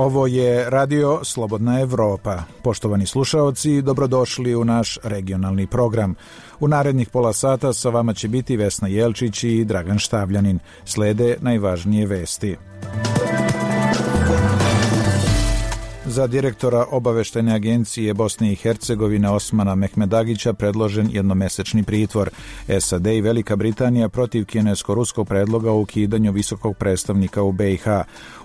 Ovo je Radio Slobodna Evropa. Poštovani slušaoci, dobrodošli u naš regionalni program. U narednih pola sata sa vama će biti Vesna Jelčić i Dragan Štavljanin. Slede najvažnije vesti. Za direktora obaveštajne agencije Bosne i Hercegovine Osmana Mehmedagića predložen jednomesečni pritvor. SAD i Velika Britanija protiv kinesko-ruskog predloga o ukidanju visokog predstavnika u BiH.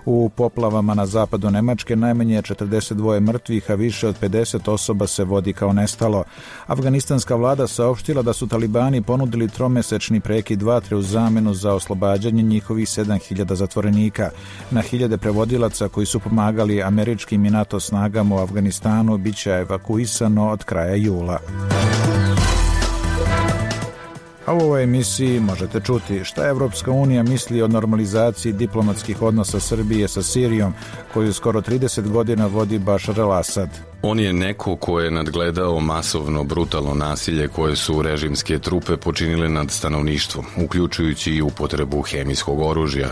U poplavama na zapadu Nemačke najmanje 42 mrtvih, a više od 50 osoba se vodi kao nestalo. Afganistanska vlada saopštila da su talibani ponudili tromesečni prekid vatre u zamenu za oslobađanje njihovih 7000 zatvorenika. Na hiljade prevodilaca koji su pomagali američkim i NATO snagama u Afganistanu biće evakuisano od kraja jula. A u ovoj emisiji možete čuti šta Evropska unija misli o normalizaciji diplomatskih odnosa Srbije sa Sirijom, koju skoro 30 godina vodi Bašar el-Asad. On je neko ko je nadgledao masovno brutalno nasilje koje su režimske trupe počinile nad stanovništvom, uključujući i upotrebu hemijskog oružja.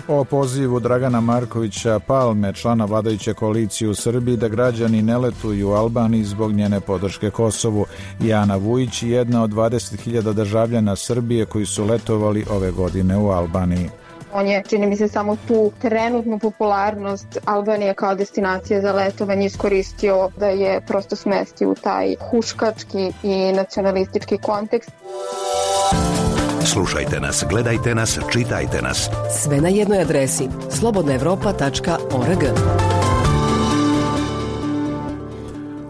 O pozivu Dragana Markovića Palme, člana vladajuće koalicije u Srbiji, da građani ne letuju u Albaniji zbog njene podrške Kosovu. I Ana Vujić, jedna od 20.000 državljana Srbije koji su letovali ove godine u Albaniji. On je, čini mi se, samo tu trenutnu popularnost Albanije kao destinacije za letovanje iskoristio da je prosto smesti u taj huškački i nacionalistički kontekst. Slušajte nas, gledajte nas, čitajte nas. Sve na jednoj adresi slobodnaevropa.org.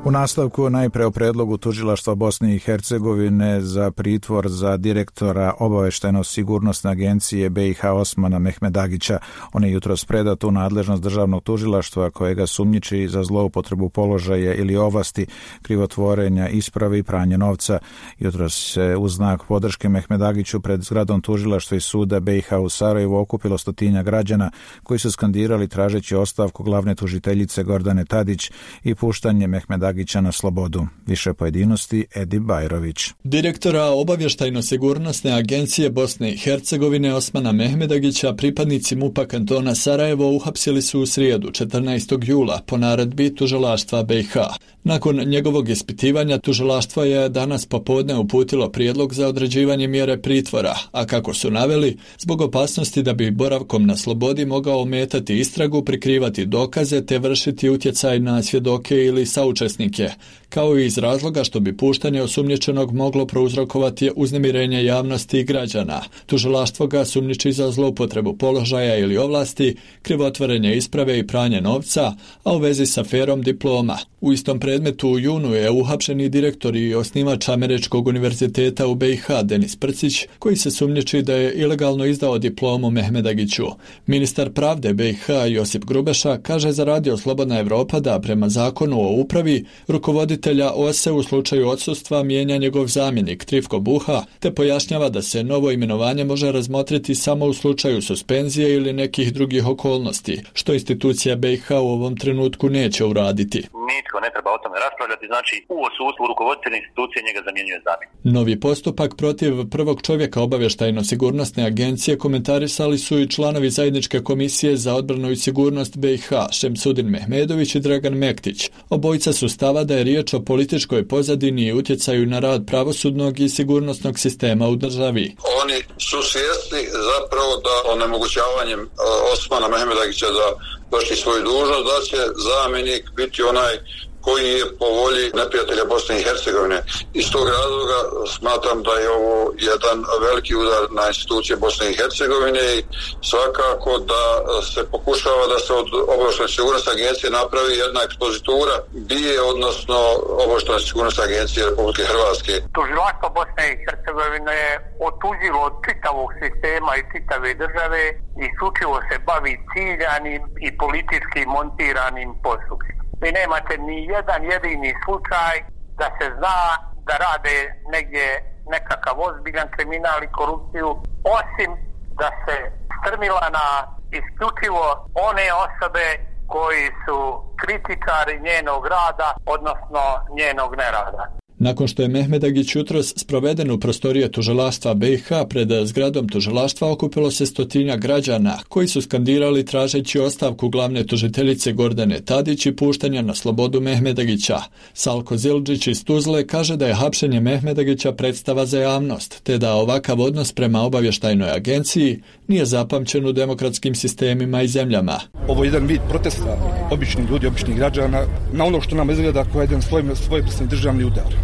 U nastavku najpre o predlogu tužilaštva Bosne i Hercegovine za pritvor za direktora obaveštajno-sigurnosne agencije BiH Osmana Mehmedagića. On je jutros predat u nadležnost državnog tužilaštva kojega sumnjiči za zloupotrebu položaja ili ovlasti, krivotvorenja isprave i pranje novca. Jutros se u znak podrške Mehmedagiću pred zgradom tužilaštva i suda BiH u Sarajevu okupilo 100 građana koji su skandirali tražeći ostavku glavne tužiteljice Gordane Tadić i puštanje Mehmedagića na slobodu. Više pojedinosti Edi Bajrović. Direktora obavještajno-sigurnosne agencije Bosne i Hercegovine Osmana Mehmedagića pripadnici MUP-a kantona Sarajevo uhapsili su u srijedu 14. jula po naredbi tužilaštva BiH. Nakon njegovog ispitivanja tužilaštvo je danas popodne uputilo prijedlog za određivanje mjere pritvora, a kako su naveli, zbog opasnosti da bi boravkom na slobodi mogao ometati istragu, prikrivati dokaze te vršiti utjecaj na svjedoke ili saučesnike, kao i iz razloga što bi puštanje osumnjičenog moglo prouzrokovati uznemirenje javnosti i građana. Tužilaštvo ga sumnjiči za zloupotrebu položaja ili ovlasti, krivotvorenje isprave i pranje novca, a u vezi s aferom diploma. U istom predmetu u junu je uhapšeni direktor i osnivač Američkog univerziteta u BiH Denis Prcić, koji se sumnjiči da je ilegalno izdao diplomu Mehmedagiću. Ministar pravde BiH Josip Grubeša kaže za Radio Slobodna Evropa da prema zakonu o upravi rukovoditelja OSE u slučaju odsustva mijenja njegov zamjenik Trifko Buha, te pojašnjava da se novo imenovanje može razmotriti samo u slučaju suspenzije ili nekih drugih okolnosti, što institucija BiH u ovom trenutku neće uraditi. Nitko ne treba o tome raspravljati, znači u odsustvu rukovoditelja institucije njega zamjenjuje zamjenik. Novi postupak protiv prvog čovjeka obavještajno-sigurnosne agencije komentarisali su i članovi zajedničke komisije za odbranu i sigurnost BiH Šemsudin Mehmedović i Dragan Mektić. Obojica su stava da je riječ o političkoj pozadini i utjecaju na rad pravosudnog i sigurnosnog sistema u državi. Oni su svjesni zapravo da onemogućavanjem Osmana Mehmedagića da vrši svoju dužnost, da će zamjenik biti onaj koji je po volji neprijatelja Bosne i Hercegovine. Iz tog razloga smatram da je ovo jedan veliki udar na institucije Bosne i Hercegovine i svakako da se pokušava da se od obavještajne sigurnosne agencije napravi jedna ekspozitura BIA, odnosno obavještajne sigurnosne agencije Republike Hrvatske. Tužilaštvo Bosne i Hercegovine je otuđilo od čitavog sistema i čitave države i isključivo se bavi ciljanim i politički montiranim postupcima. Vi nemate ni jedan jedini slučaj da se zna da rade negdje nekakav ozbiljan kriminal i korupciju, osim da se strmila na isključivo one osobe koji su kritičari njenog rada, odnosno njenog nerada. Nakon što je Mehmedagić jutros sproveden u prostorije tužilaštva BiH, pred zgradom tužilaštva okupilo se 100 građana koji su skandirali tražeći ostavku glavne tužiteljice Gordane Tadić i puštanja na slobodu Mehmedagića. Salko Zildžić iz Tuzle kaže da je hapšenje Mehmedagića predstava za javnost, te da ovakav odnos prema obavještajnoj agenciji nije zapamćen u demokratskim sistemima i zemljama. Ovo je jedan vid protesta običnih ljudi, običnih građana na ono što nam izgleda kao jedan svojevrsni državni udar.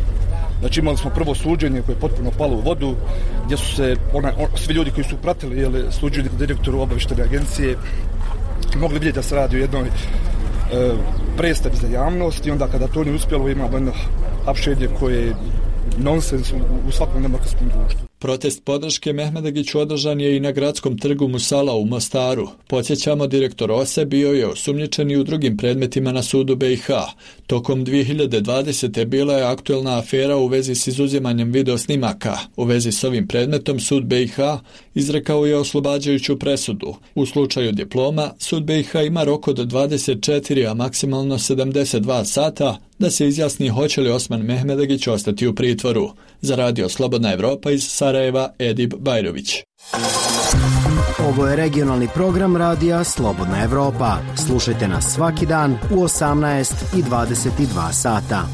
Znači imali smo prvo suđenje koje je potpuno palo u vodu, gdje su se svi ljudi koji su pratili suđenje direktoru obavještajne agencije mogli vidjeti da se radi o jednoj predstavi za javnost i onda kada to nije uspjelo imamo jedno hapšenje koje je nonsens u svakom demokratskom društvu. Protest podrške Mehmedagiću održan je i na gradskom trgu Musala u Mostaru. Podsjećamo, direktor OSE bio je osumnjičen i u drugim predmetima na sudu BiH. Tokom 2020. bila je aktuelna afera u vezi s izuzimanjem videosnimaka. U vezi s ovim predmetom sud BiH izrekao je oslobađajuću presudu. U slučaju diploma, sud BiH ima rok od 24, a maksimalno 72 sata da se izjasni hoće li Osman Mehmedagić ostati u pritvoru. Za Radio Slobodna Evropa iz Sarajeva, Edip Bajrović. Ovo je regionalni program Radija Slobodna Evropa. Slušajte nas svaki dan u 18 i 22 sata.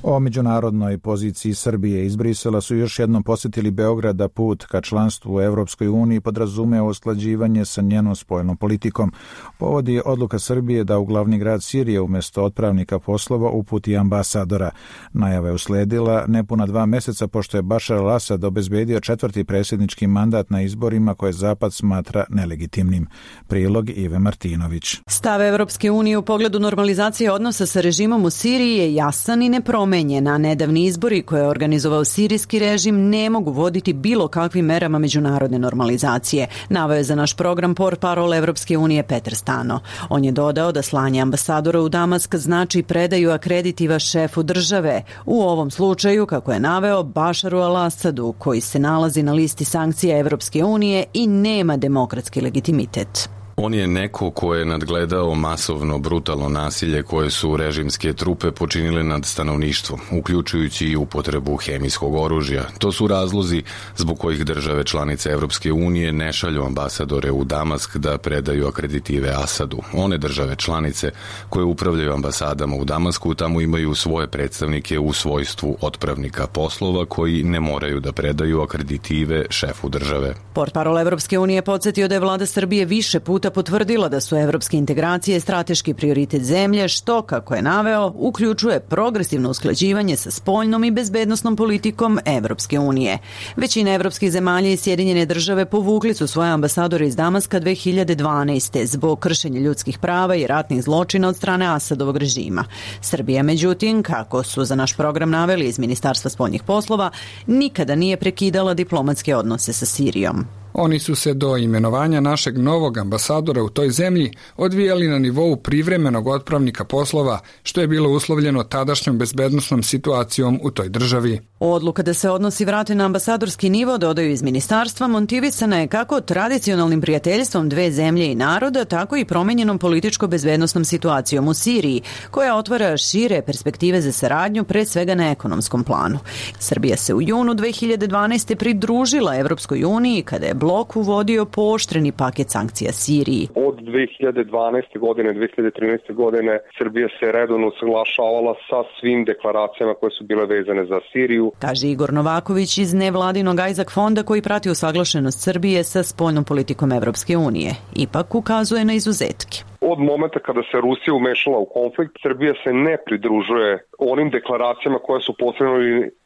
O međunarodnoj poziciji Srbije iz Brisela su još jednom posjetili Beograd, da put ka članstvu u Evropskoj uniji podrazumeva usklađivanje sa njenom spoljnom politikom. Povod je odluka Srbije da u glavni grad Sirije umjesto otpravnika poslova uputi ambasadora. Najava je usledila nepuna 2 mjeseca pošto je Bašar al-Asad obezbedio 4. predsjednički mandat na izborima koje Zapad smatra nelegitimnim. Prilog Ive Martinović. Stav Evropske unije u pogledu normalizacije odnosa sa režimom u Siriji je jasan i nepromenjen. Nedavni izbori koje je organizovao sirijski režim ne mogu voditi bilo kakvim merama međunarodne normalizacije, naveo je za naš program portparol Evropske unije Petar Stano. On je dodao da slanje ambasadora u Damask znači predaju akreditiva šefu države, u ovom slučaju, kako je naveo, Bašaru al-Asadu, koji se nalazi na listi sankcija Evropske unije i nema demokratski legitimitet. On je neko ko je nadgledao masovno brutalno nasilje koje su režimske trupe počinile nad stanovništvom, uključujući i upotrebu hemijskog oružja. To su razlozi zbog kojih države članice Evropske unije ne šalju ambasadore u Damask da predaju akreditive Asadu. One države članice koje upravljaju ambasadama u Damasku tamo imaju svoje predstavnike u svojstvu otpravnika poslova koji ne moraju da predaju akreditive šefu države. Portparol Evropske unije podsjetio da je vlada Srbije više puta potvrdila da su evropske integracije strateški prioritet zemlje, što, kako je naveo, uključuje progresivno usklađivanje sa spoljnom i bezbednosnom politikom Evropske unije. Većina evropskih zemalja i Sjedinjene države povukli su svoje ambasadore iz Damaska 2012. zbog kršenja ljudskih prava i ratnih zločina od strane Asadovog režima. Srbija, međutim, kako su za naš program naveli iz Ministarstva spoljnih poslova, nikada nije prekidala diplomatske odnose sa Sirijom. Oni su se do imenovanja našeg novog ambasadora u toj zemlji odvijali na nivou privremenog otpravnika poslova, što je bilo uslovljeno tadašnjom bezbednosnom situacijom u toj državi. Odluka da se odnosi vrate na ambasadorski nivo, dodaju iz ministarstva, motivisana je kako tradicionalnim prijateljstvom dve zemlje i naroda, tako i promenjenom političko-bezbednosnom situacijom u Siriji, koja otvara šire perspektive za saradnju, pre svega na ekonomskom planu. Srbija se u junu 2012. pridružila Evropskoj uniji kada je blok uvodio pooštreni paket sankcija Siriji. Od 2012. godine, 2013. godine Srbija se redovno usaglašavala sa svim deklaracijama koje su bile vezane za Siriju. Kaže Igor Novaković iz nevladinog Isaac fonda koji prati usaglašenost Srbije sa spoljnom politikom Evropske unije. Ipak ukazuje na izuzetke. Od momenta kada se Rusija umešala u konflikt, Srbija se ne pridružuje onim deklaracijama koje su posredno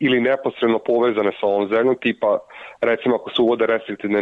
ili neposredno povezane sa ovom zemljom, tipa recimo ako se uvode restriktivne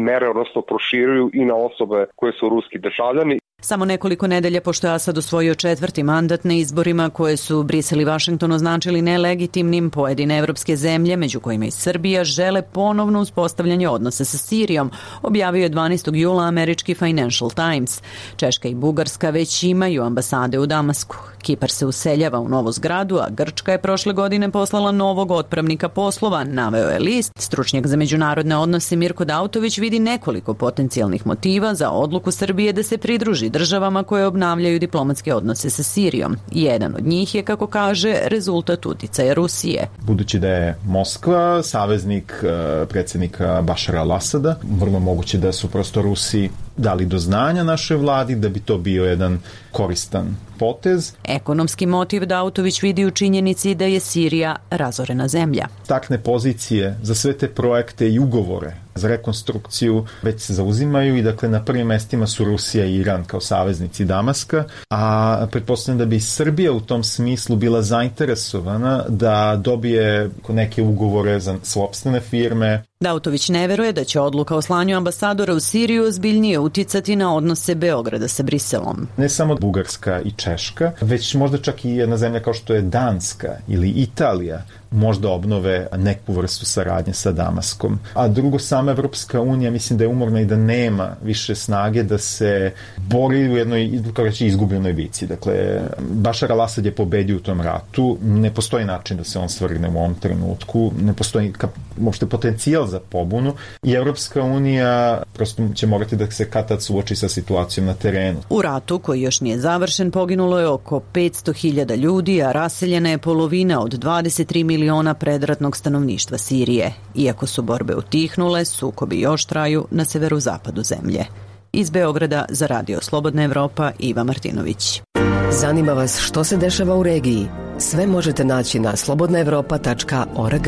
mere, odnosno proširuju i na osobe koje su ruski državljani. Samo nekoliko nedelja pošto je Asad osvojio 4. mandat na izborima koje su Brisel i Vašington označili nelegitimnim, pojedine evropske zemlje, među kojima i Srbija, žele ponovno uspostavljanje odnosa sa Sirijom, objavio je 12. jula američki Financial Times. Češka i Bugarska već imaju ambasade u Damasku. Kipar se useljava u novu zgradu, a Grčka je prošle godine poslala novog otpravnika poslova, naveo je list. Stručnjak za međunarodne odnose Mirko Dautović vidi nekoliko potencijalnih motiva za odluku Srbije da se pridruži državama koje obnavljaju diplomatske odnose sa Sirijom. Jedan od njih je, kako kaže, rezultat uticaja Rusije. Budući da je Moskva saveznik predsjednika Bašara al-Asada, vrlo moguće da su prosto Rusi dali do znanja našoj vladi da bi to bio jedan koristan potez. Ekonomski motiv Dautović vidi u činjenici da je Sirija razorena zemlja. Takne pozicije za sve te projekte i ugovore za rekonstrukciju već se zauzimaju i dakle na prvim mestima su Rusija i Iran kao saveznici Damaska, a pretpostavljam da bi Srbija u tom smislu bila zainteresovana da dobije neke ugovore za sopstvene firme. Dautović ne veruje da će odluka o slanju ambasadora u Siriju ozbiljnije uticati na odnose Beograda sa Briselom. Ne samo Bugarska i Češka, već možda čak i jedna zemlja kao što je Danska ili Italija možda obnove neku vrstu saradnje sa Damaskom. A drugo, sama Evropska unija mislim da je umorna i da nema više snage da se bori u jednoj, kao reći, izgubljenoj bici. Dakle, Bašar al-Asad je pobedio u tom ratu, ne postoji način da se on svrgne u ovom trenutku, ne postoji uopšte potencijal za pobunu i Evropska unija prosto će morati da se kad-tad suoči sa situacijom na terenu. U ratu, koji još nije završen, poginulo je oko 500.000 ljudi, a raseljena je polovina od 23 miliona predratnog stanovništva Sirije. Iako su borbe utihnule, sukobi još traju na severozapadu zemlje. Iz Beograda za Radio Slobodna Evropa, Iva Martinović. Zanima vas što se dešava u regiji? Sve možete naći na slobodnaevropa.org.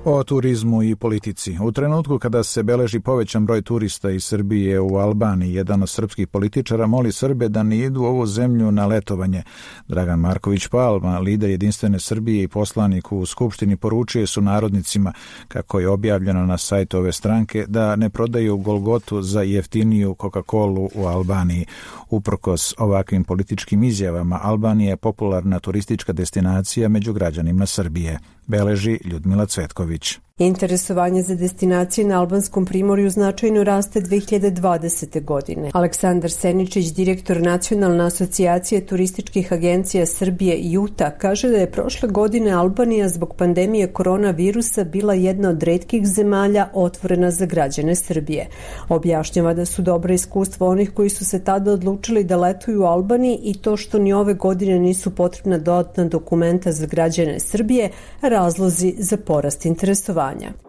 O turizmu i politici. U trenutku kada se beleži povećan broj turista iz Srbije u Albaniji, jedan od srpskih političara moli Srbe da ne idu u ovu zemlju na letovanje. Dragan Marković Palma, lider Jedinstvene Srbije i poslanik u Skupštini, poručuje sunarodnicima, kako je objavljeno na sajtu ove stranke, da ne prodaju Golgotu za jeftiniju Coca-Colu u Albaniji. Uprkos ovakvim političkim izjavama, Albanija je popularna turistička destinacija među građanima Srbije, beleži Ljudmila Cvetković. Interesovanje za destinacije na albanskom primorju značajno raste 2020. godine. Aleksandar Seničić, direktor Nacionalne asocijacije turističkih agencija Srbije JUTA, kaže da je prošle godine Albanija zbog pandemije koronavirusa bila jedna od retkih zemalja otvorena za građane Srbije. Objašnjava da su dobra iskustva onih koji su se tada odlučili da letuju u Albaniji i to što ni ove godine nisu potrebna dodatna dokumenta za građane Srbije, razlozi za porast interesovanja.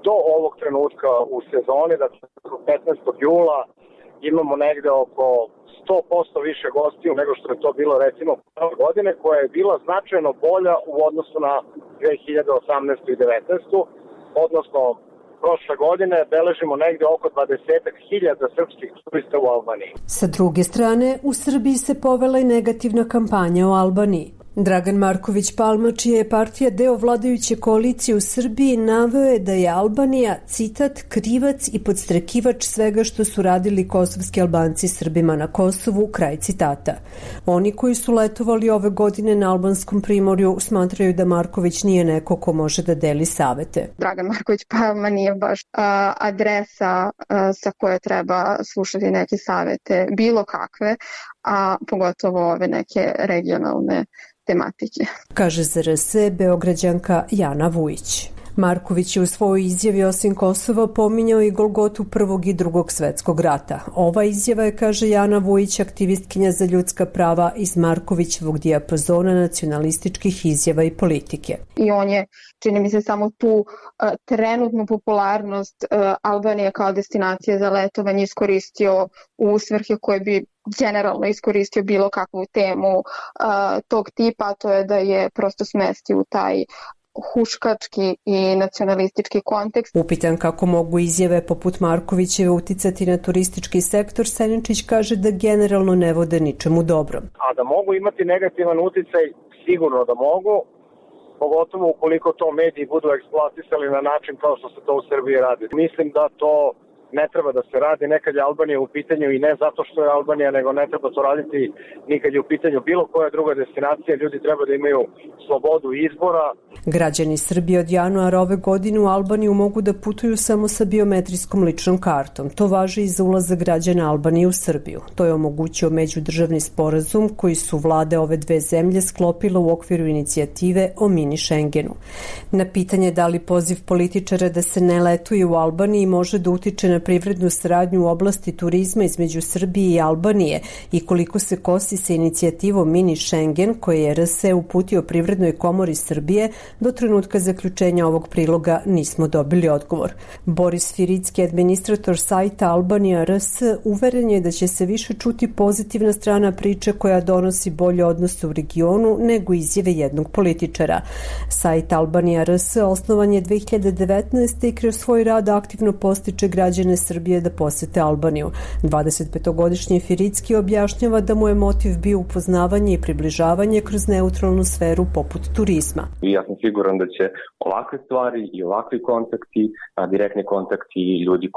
Do ovog trenutka u sezoni, da 15. jula, imamo negde oko 100% više gostiju nego što je to bilo recimo prve godine, koja je bila značajno bolja u odnosu na 2018. i 2019. Odnosno, prošle godine beležimo negde oko 20.000 srpskih turista u Albaniji. Sa druge strane, u Srbiji se povela i negativna kampanja o Albaniji. Dragan Marković Palma, čija je partija deo vladajuće koalicije u Srbiji, naveo je da je Albanija, citat, krivac i podstrekivač svega što su radili kosovski Albanci Srbima na Kosovu, kraj citata. Oni koji su letovali ove godine na albanskom primorju smatraju da Marković nije neko ko može da deli savete. Dragan Marković Palma nije baš adresa sa koje treba slušati neke savete, bilo kakve, a pogotovo ove neke regionalne tematike. Kaže za RS Beograđanka Jana Vujić. Marković je u svojoj izjavi osim Kosova pominjao i Golgotu Prvog i Drugog svetskog rata. Ova izjava je, kaže Jana Vujić, aktivistkinja za ljudska prava iz Markovićevog dijapazona nacionalističkih izjava i politike. I on je, čini mi se, samo tu trenutnu popularnost Albanije kao destinacije za letovanje iskoristio u svrhe koje bi generalno iskoristio bilo kakvu temu tog tipa, to je da je prosto smestio u taj huškački i nacionalistički kontekst. Upitan kako mogu izjave poput Markovićeve uticati na turistički sektor, Seničić kaže da generalno ne vode ničemu dobrom. A da mogu imati negativan uticaj, sigurno da mogu, pogotovo ukoliko to mediji budu eksploatisali na način kao što se to u Srbiji radi. Mislim da to ne treba da se radi, nekad je Albanija u pitanju i ne zato što je Albanija, nego ne treba to raditi nikad je u pitanju bilo koja druga destinacija, ljudi treba da imaju slobodu izbora. Građani Srbije od januara ove godine u Albaniju mogu da putuju samo sa biometrijskom ličnom kartom. To važi i za ulazak građana Albanije u Srbiju. To je omogućio međudržavni sporazum koji su vlade ove dve zemlje sklopile u okviru inicijative o mini Schengenu. Na pitanje da li poziv političara da se ne letuje u Albaniji može da utiče na na privrednu saradnju u oblasti turizma između Srbije i Albanije i koliko se kosi sa inicijativom Mini Schengen koje je RS uputio Privrednoj komori Srbije, do trenutka zaključenja ovog priloga nismo dobili odgovor. Boris Firicki, administrator sajta Albanija RS, uveren je da će se više čuti pozitivna strana priče koja donosi bolje odnose u regionu nego izjave jednog političara. Sajt Albanija RS osnovan je 2019. i kroz svoj rad aktivno postiče građane Srbije da posete Albaniju. 25-godišnji Firicki objašnjava da mu je motiv bio upoznavanje i približavanje kroz neutralnu sferu poput turizma. Ja sam siguran da će ovakve stvari i ovakvi kontakti, direktni kontakti i ljudi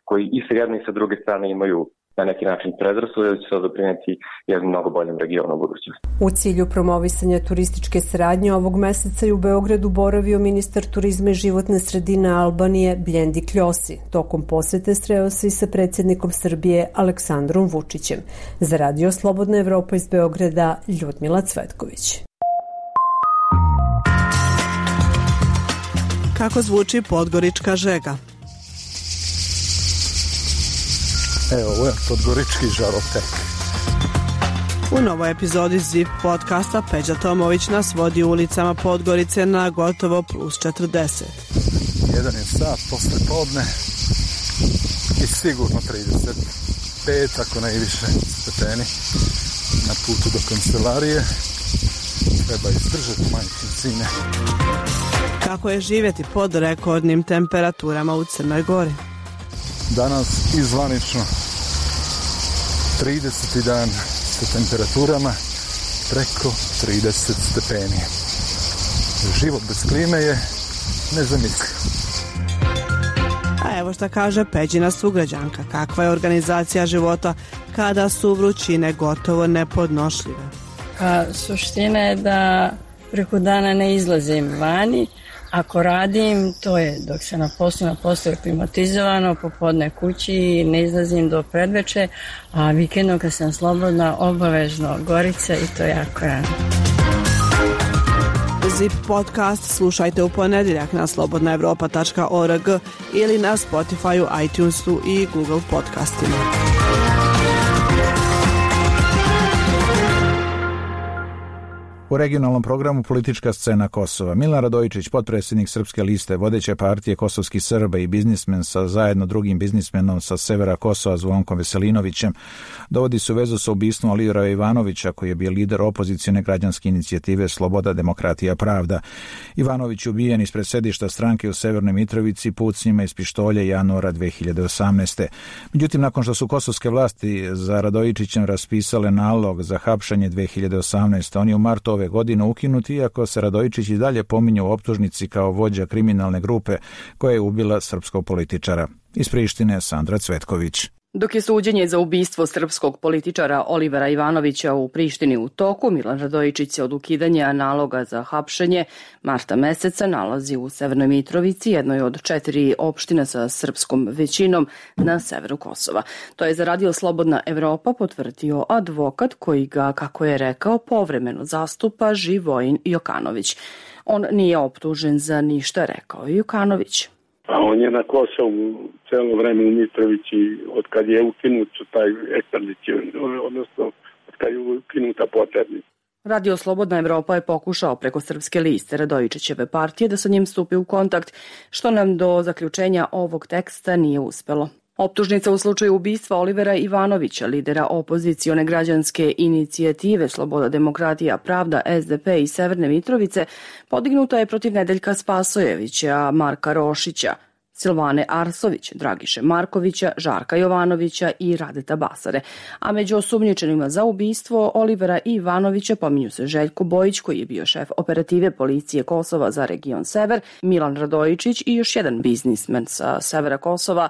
koji i sa jedne i sa druge strane imaju na neki način predrasude, da će se doprineti jednom mnogo boljem regionu u budućnosti. U cilju promovisanja turističke saradnje ovog meseca je u Beogradu boravio ministar turizma i životne sredine Albanije Bljendi Kljosi. Tokom posete sreo se i sa predsjednikom Srbije Aleksandrom Vučićem. Za Radio Slobodna Evropa iz Beograda, Ljudmila Cvetković. Kako zvuči podgorička žega? Evo, ovo je podgorički žalotek. U novoj epizodi ZIP podcasta Peđa Tomović nas vodi ulicama Podgorice na gotovo plus 40. Jedan je sat posle podne i sigurno 35, ako ne i više stepeni na putu do kancelarije. Treba izdržati, majke sine. Kako je živjeti pod rekordnim temperaturama u Crnoj Gori? Danas izvanično 30. dan sa temperaturama preko 30 stepeni. Život bez klime je nezamisliv. A evo šta kaže Peđina sugrađanka. Kakva je organizacija života kada su vrućine gotovo nepodnošljive? Suština je da preko dana ne izlazim vani. Ako radim, to je dok se na poslu je klimatizovano, popodne kući, ne izlazim do predveče, a vikendom kad sam slobodna, obavezno Gorica i to jako rano. ZIP podcast slušajte u ponedjeljak na slobodnaevropa.org ili na Spotify, iTunesu i Google podcastima. U regionalnom programu Politička scena Kosova. Milan Radojičić, potpredsjednik Srpske liste, vodeće partije kosovskih Srba i biznismen sa zajedno drugim biznismenom sa severa Kosova Zvonkom Veselinovićem, dovodi se u vezu sa ubistvom Olivera Ivanovića, koji je bio lider opozicione građanske inicijative Sloboda, demokratija, pravda. Ivanović je ubijen ispred sedišta stranke u Severnoj Mitrovici pucnjima iz pištolja januara 2018. Međutim, nakon što su kosovske vlasti za Radojičićem raspisale nalog za hapšanje 2018. on je u martu ove godine ukinuti, iako se Radojičić i dalje pominje u optužnici kao vođa kriminalne grupe koja je ubila srpskog političara. Iz Prištine Sandra Cvetković. Dok je suđenje za ubistvo srpskog političara Olivera Ivanovića u Prištini u toku, Milan Radojičić se od ukidanja naloga za hapšenje marta meseca nalazi u Severnoj Mitrovici, jednoj od 4 opština sa srpskom većinom na severu Kosova. To je za Radio Slobodna Evropa potvrdio advokat koji ga, kako je rekao, povremeno zastupa Živojin Jokanović. On nije optužen za ništa, rekao je Jokanović. A on je na Kosovu celo vreme u Mitrovici od kad je ukinut taj ekstradicioni, odnosno od kad je ukinuta poternica. Radio Slobodna Evropa je pokušao preko Srpske liste Radojičićeve partije da sa njim stupi u kontakt, što nam do zaključenja ovog teksta nije uspelo. Optužnica u slučaju ubistva Olivera Ivanovića, lidera opozicione građanske inicijative Sloboda, demokratija, pravda, SDP i Severne Mitrovice, podignuta je protiv Nedeljka Spasojevića, Marka Rošića, Silvane Arsović, Dragiše Markovića, Žarka Jovanovića i Radeta Basare. A među osumnjičenima za ubistvo Olivera Ivanovića pominju se Željko Bojić, koji je bio šef operative policije Kosova za region Sever, Milan Radojičić i još jedan biznismen sa severa Kosova,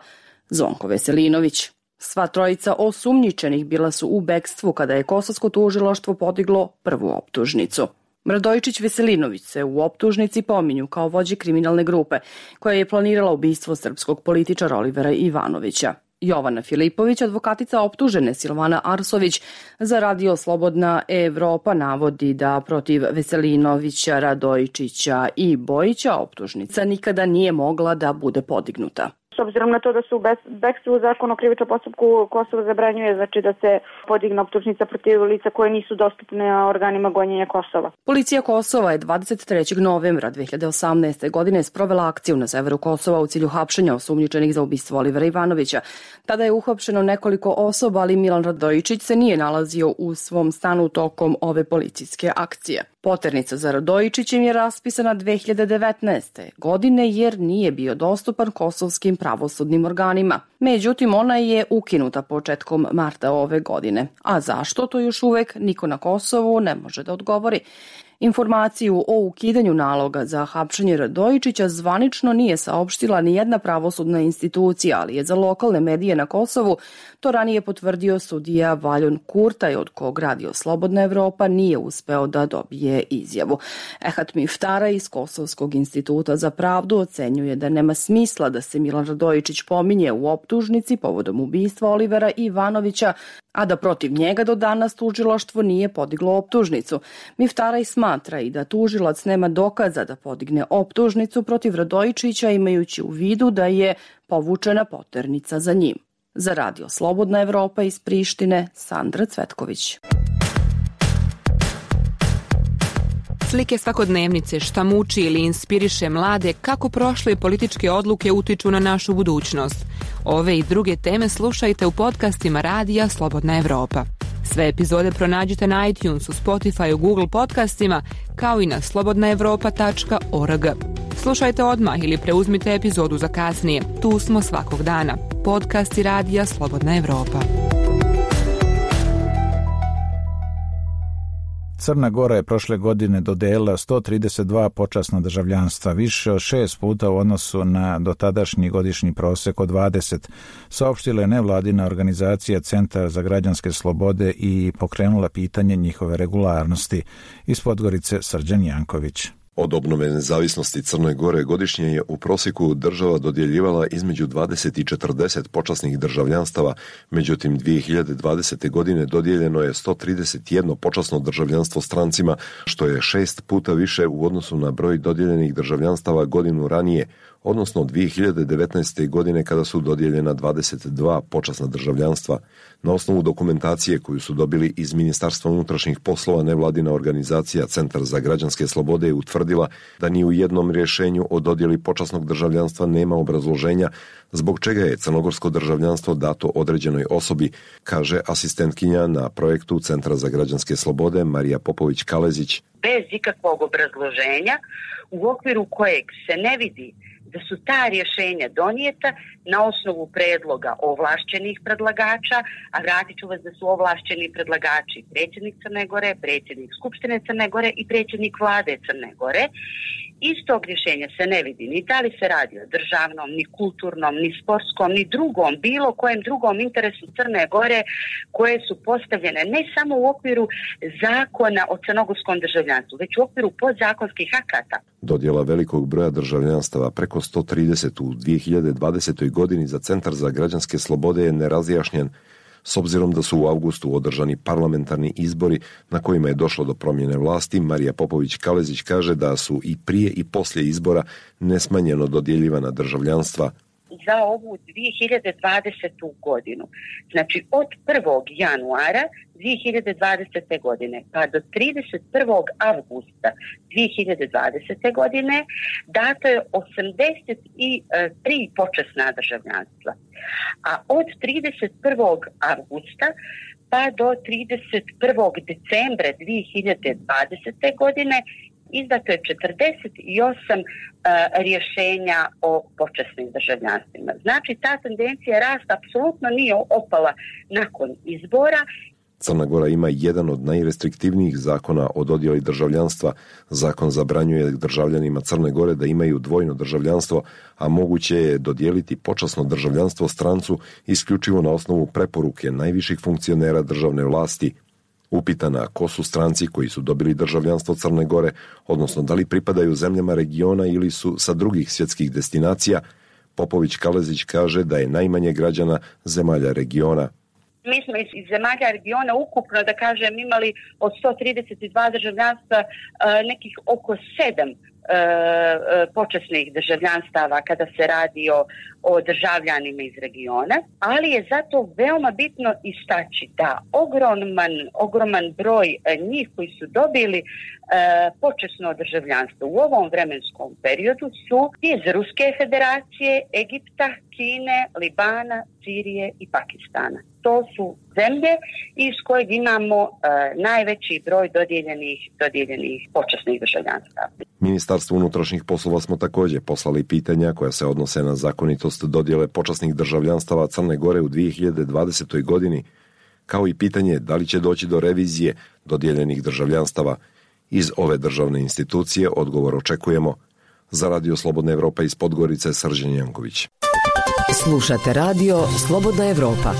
Zvonko Veselinović. Sva trojica osumnjičenih bila su u bekstvu kada je kosovsko tužilaštvo podiglo prvu optužnicu. Radojičić Veselinović se u optužnici pominju kao vođe kriminalne grupe koja je planirala ubistvo srpskog političara Olivera Ivanovića. Jovana Filipović, advokatica optužene Silvana Arsović, za Radio Slobodna Evropa navodi da protiv Veselinovića, Radojičića i Bojića optužnica nikada nije mogla da bude podignuta. S obzirom na to da su u bekstvu Zakon o krivičnom postupku Kosovo zabranjuje, znači da se podigne optužnica protiv lica koje nisu dostupne organima gonjenja Kosova. Policija Kosova je 23. novembra 2018. godine sprovela akciju na severu Kosova u cilju hapšenja osumnjičenih za ubistvo Olivera Ivanovića. Tada je uhapšeno nekoliko osoba, ali Milan Radojičić se nije nalazio u svom stanu tokom ove policijske akcije. Poternica za Radojičićem je raspisana 2019. godine jer nije bio dostupan kosovskim pravosudnim organima. Međutim, ona je ukinuta početkom marta ove godine. A zašto, to još uvek niko na Kosovu ne može da odgovori. Informaciju o ukidanju naloga za hapšenje Radojičića zvanično nije saopštila ni jedna pravosudna institucija, ali je za lokalne medije na Kosovu to ranije potvrdio sudija Valjon Kurtaj, od kog Radio Slobodna Evropa nije uspeo da dobije izjavu. Ehat Miftara iz Kosovskog instituta za pravdu ocenjuje da nema smisla da se Milan Radojičić pominje u optužnici povodom ubistva Olivera Ivanovića, a da protiv njega do danas tužilaštvo nije podiglo optužnicu. Miftaraj smatra i da tužilac nema dokaza da podigne optužnicu protiv Radojičića, imajući u vidu da je povučena poternica za njim. Za Radio Slobodna Evropa iz Prištine, Sandra Cvetković. Slike svakodnevnice, šta muči ili inspiriše mlade, kako prošle političke odluke utiču na našu budućnost. Ove i druge teme slušajte u podcastima Radija Slobodna Evropa. Sve epizode pronađite na iTunesu, Spotifyu, Google podcastima, kao i na slobodnaevropa.org. Slušajte odmah ili preuzmite epizodu za kasnije. Tu smo svakog dana. Podcasti Radija Slobodna Evropa. Crna Gora je prošle godine dodelila 132 počasna državljanstva, više od 6 puta u odnosu na dotadašnji godišnji prosek od 20, saopštila je nevladina organizacija Centar za građanske slobode i pokrenula pitanje njihove regularnosti. Iz Podgorice Srđan Janković. Od obnove nezavisnosti Crne Gore godišnje je u prosjeku država dodjeljivala između 20 i 40 počasnih državljanstava, međutim 2020. godine dodijeljeno je 131 počasno državljanstvo strancima, što je 6 puta više u odnosu na broj dodijeljenih državljanstava godinu ranije, odnosno 2019. godine kada su dodijeljena 22 počasna državljanstva. Na osnovu dokumentacije koju su dobili iz Ministarstva unutrašnjih poslova, nevladina organizacija Centar za građanske slobode je utvrdila da ni u jednom rješenju o dodjeli počasnog državljanstva nema obrazloženja zbog čega je crnogorsko državljanstvo dato određenoj osobi, kaže asistentkinja na projektu Centra za građanske slobode Marija Popović-Kalezić. Bez ikakvog obrazloženja, u okviru kojeg se ne vidi da su ta rješenja donijeta na osnovu predloga ovlašćenih predlagača, a vratit ću vas da su ovlašćeni predlagači predsjednik Crne Gore, predsjednik Skupštine Crne Gore i predsjednik vlade Crne Gore. Iz tog rješenja se ne vidi ni da li se radi o državnom, ni kulturnom, ni sportskom, ni drugom, bilo kojem drugom interesu Crne Gore koje su postavljene ne samo u okviru zakona o crnogorskom državljanstvu, već u okviru podzakonskih akata. Dodjela velikog broja državljanstava, preko 130 u 2020. godini za Centar za građanske slobode je nerazjašnjen, s obzirom da su u avgustu održani parlamentarni izbori na kojima je došlo do promjene vlasti. Marija Popović-Kalezić kaže da su i prije i poslije izbora nesmanjeno dodjeljivana državljanstva. Za ovu 2020. godinu, znači od 1. januara 2020. godine pa do 31. avgusta 2020. godine dato je 83 počasna državljanstva, a od 31. avgusta pa do 31. decembra 2020. godine izdato je 48 rješenja o počasnim državljanstvima. Znači, ta tendencija rasta apsolutno nije opala nakon izbora. Crna Gora ima jedan od najrestriktivnijih zakona o dodjeli državljanstva. Zakon zabranjuje državljanima Crne Gore da imaju dvojno državljanstvo, a moguće je dodijeliti počasno državljanstvo strancu isključivo na osnovu preporuke najviših funkcionera državne vlasti. Upitana ko su stranci koji su dobili državljanstvo Crne Gore, odnosno da li pripadaju zemljama regiona ili su sa drugih svjetskih destinacija, Popović-Kalezić kaže da je najmanje građana zemalja regiona. Mi smo iz zemalja regiona ukupno, da kažem, imali od 132 državljanstva nekih oko 7 počasnih državljanstava kada se radi o državljanima iz regiona, ali je zato veoma bitno istaći da ogroman broj njih koji su dobili počasno državljanstvo u ovom vremenskom periodu su iz Ruske federacije, Egipta, Kine, Libana, Sirije i Pakistana. To su zemlje iz kojeg imamo najveći broj dodijeljenih počasnih državljanstava. Ministarstvu unutrašnjih poslova smo također poslali pitanja koja se odnose na zakonitost dodjele počasnih državljanstava Crne Gore u 2020. godini, kao i pitanje da li će doći do revizije dodijeljenih državljanstava. Iz ove državne institucije odgovor očekujemo. Za Radio Slobodna Evropa iz Podgorice, Srđan Janković. Slušate Radio Slobodna Evropa.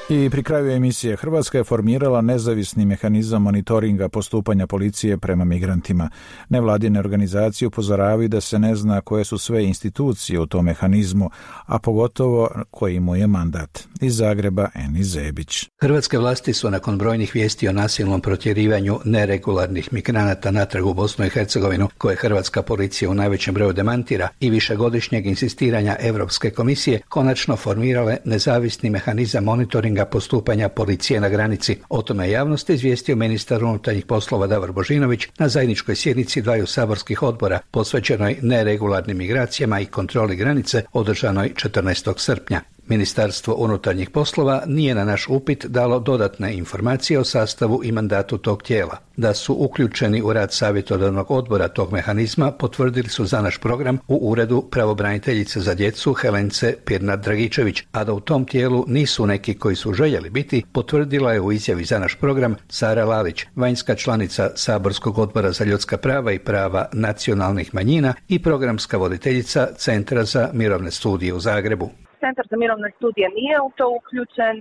I pri kraju emisije Hrvatska je formirala nezavisni mehanizam monitoringa postupanja policije prema migrantima. Nevladine organizacije upozoravaju da se ne zna koje su sve institucije u tom mehanizmu, a pogotovo koji mu je mandat. Iz Zagreba, Enis Zebić. Hrvatske vlasti su nakon brojnih vijesti o nasilnom protjerivanju neregularnih migranata natrag u Bosnu i Hercegovinu, koje hrvatska policija u najvećem broju demantira, i višegodišnjeg insistiranja Europske komisije, konačno formirale nezavisni mehanizam monitoringa postupanja policije na granici. O tome javnost izvijestio ministar unutarnjih poslova Davor Božinović na zajedničkoj sjednici dvaju saborskih odbora posvećenoj neregularnim migracijama i kontroli granice održanoj 14. srpnja. Ministarstvo unutarnjih poslova nije na naš upit dalo dodatne informacije o sastavu i mandatu tog tijela. Da su uključeni u rad savjetodavnog odbora tog mehanizma potvrdili su za naš program u Uredu pravobraniteljice za djecu Helence Pirnat-Dragičević, a da u tom tijelu nisu neki koji su željeli biti, potvrdila je u izjavi za naš program Sara Lalić, vanjska članica Saborskog odbora za ljudska prava i prava nacionalnih manjina i programska voditeljica Centra za mirovne studije u Zagrebu. Centar za mirovne studije nije u to uključen,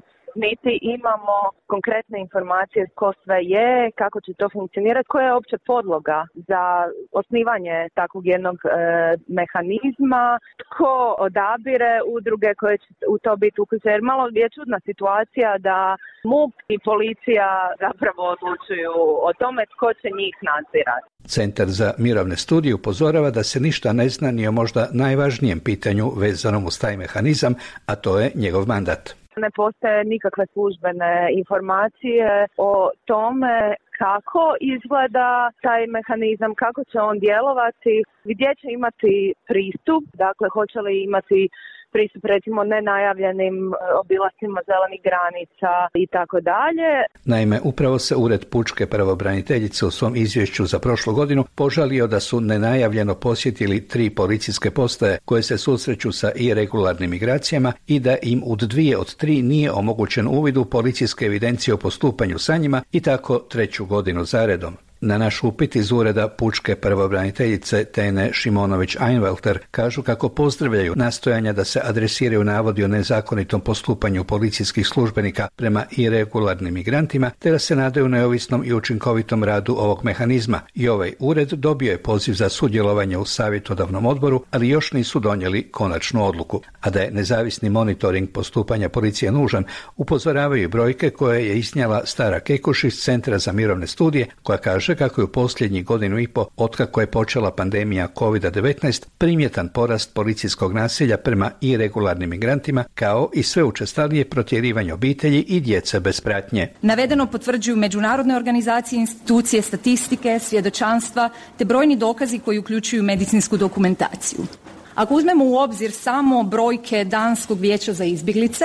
niti imamo konkretne informacije ko sve je, kako će to funkcionirati, koja je uopće podloga za osnivanje takvog jednog mehanizma, tko odabire udruge koje će u to biti uključene. Jer malo je čudna situacija da MUP i policija zapravo odlučuju o tome tko će njih nadzirati. Centar za mirovne studije upozorava da se ništa ne zna ni o možda najvažnijem pitanju vezanom uz taj mehanizam, a to je njegov mandat. Ne postoje nikakve službene informacije o tome kako izgleda taj mehanizam, kako će on djelovati, gdje će imati pristup, dakle hoće li imati pristup recimo nenajavljenim obilascima zelenih granica i tako dalje. Naime, upravo se Ured pučke pravobraniteljice u svom izvješću za prošlu godinu požalio da su nenajavljeno posjetili 3 policijske postaje koje se susreću sa iregularnim migracijama i da im u 2 od 3 nije omogućen uvid u policijske evidencije o postupanju sa njima i tako 3. godinu zaredom. Na naš upit iz Ureda pučke pravobraniteljice Tene Šimonović-Einwelter kažu kako pozdravljaju nastojanja da se adresiraju navodi o nezakonitom postupanju policijskih službenika prema iregularnim migrantima, te da se nadaju neovisnom i učinkovitom radu ovog mehanizma. I ovaj ured dobio je poziv za sudjelovanje u savjetodavnom odboru, ali još nisu donijeli konačnu odluku. A da je nezavisni monitoring postupanja policije nužan, upozoravaju brojke koje je iznijela Stara Kekuš iz Centra za mirovne studije, koja kaže kako je u posljednjih 1,5 godine otkako je počela pandemija COVID-19 primjetan porast policijskog nasilja prema iregularnim migrantima, kao i sve učestalije protjerivanje obitelji i djece bez pratnje. Navedeno potvrđuju međunarodne organizacije, institucije, statistike, svjedočanstva te brojni dokazi koji uključuju medicinsku dokumentaciju. Ako uzmemo u obzir samo brojke Danskog vijeća za izbjeglice,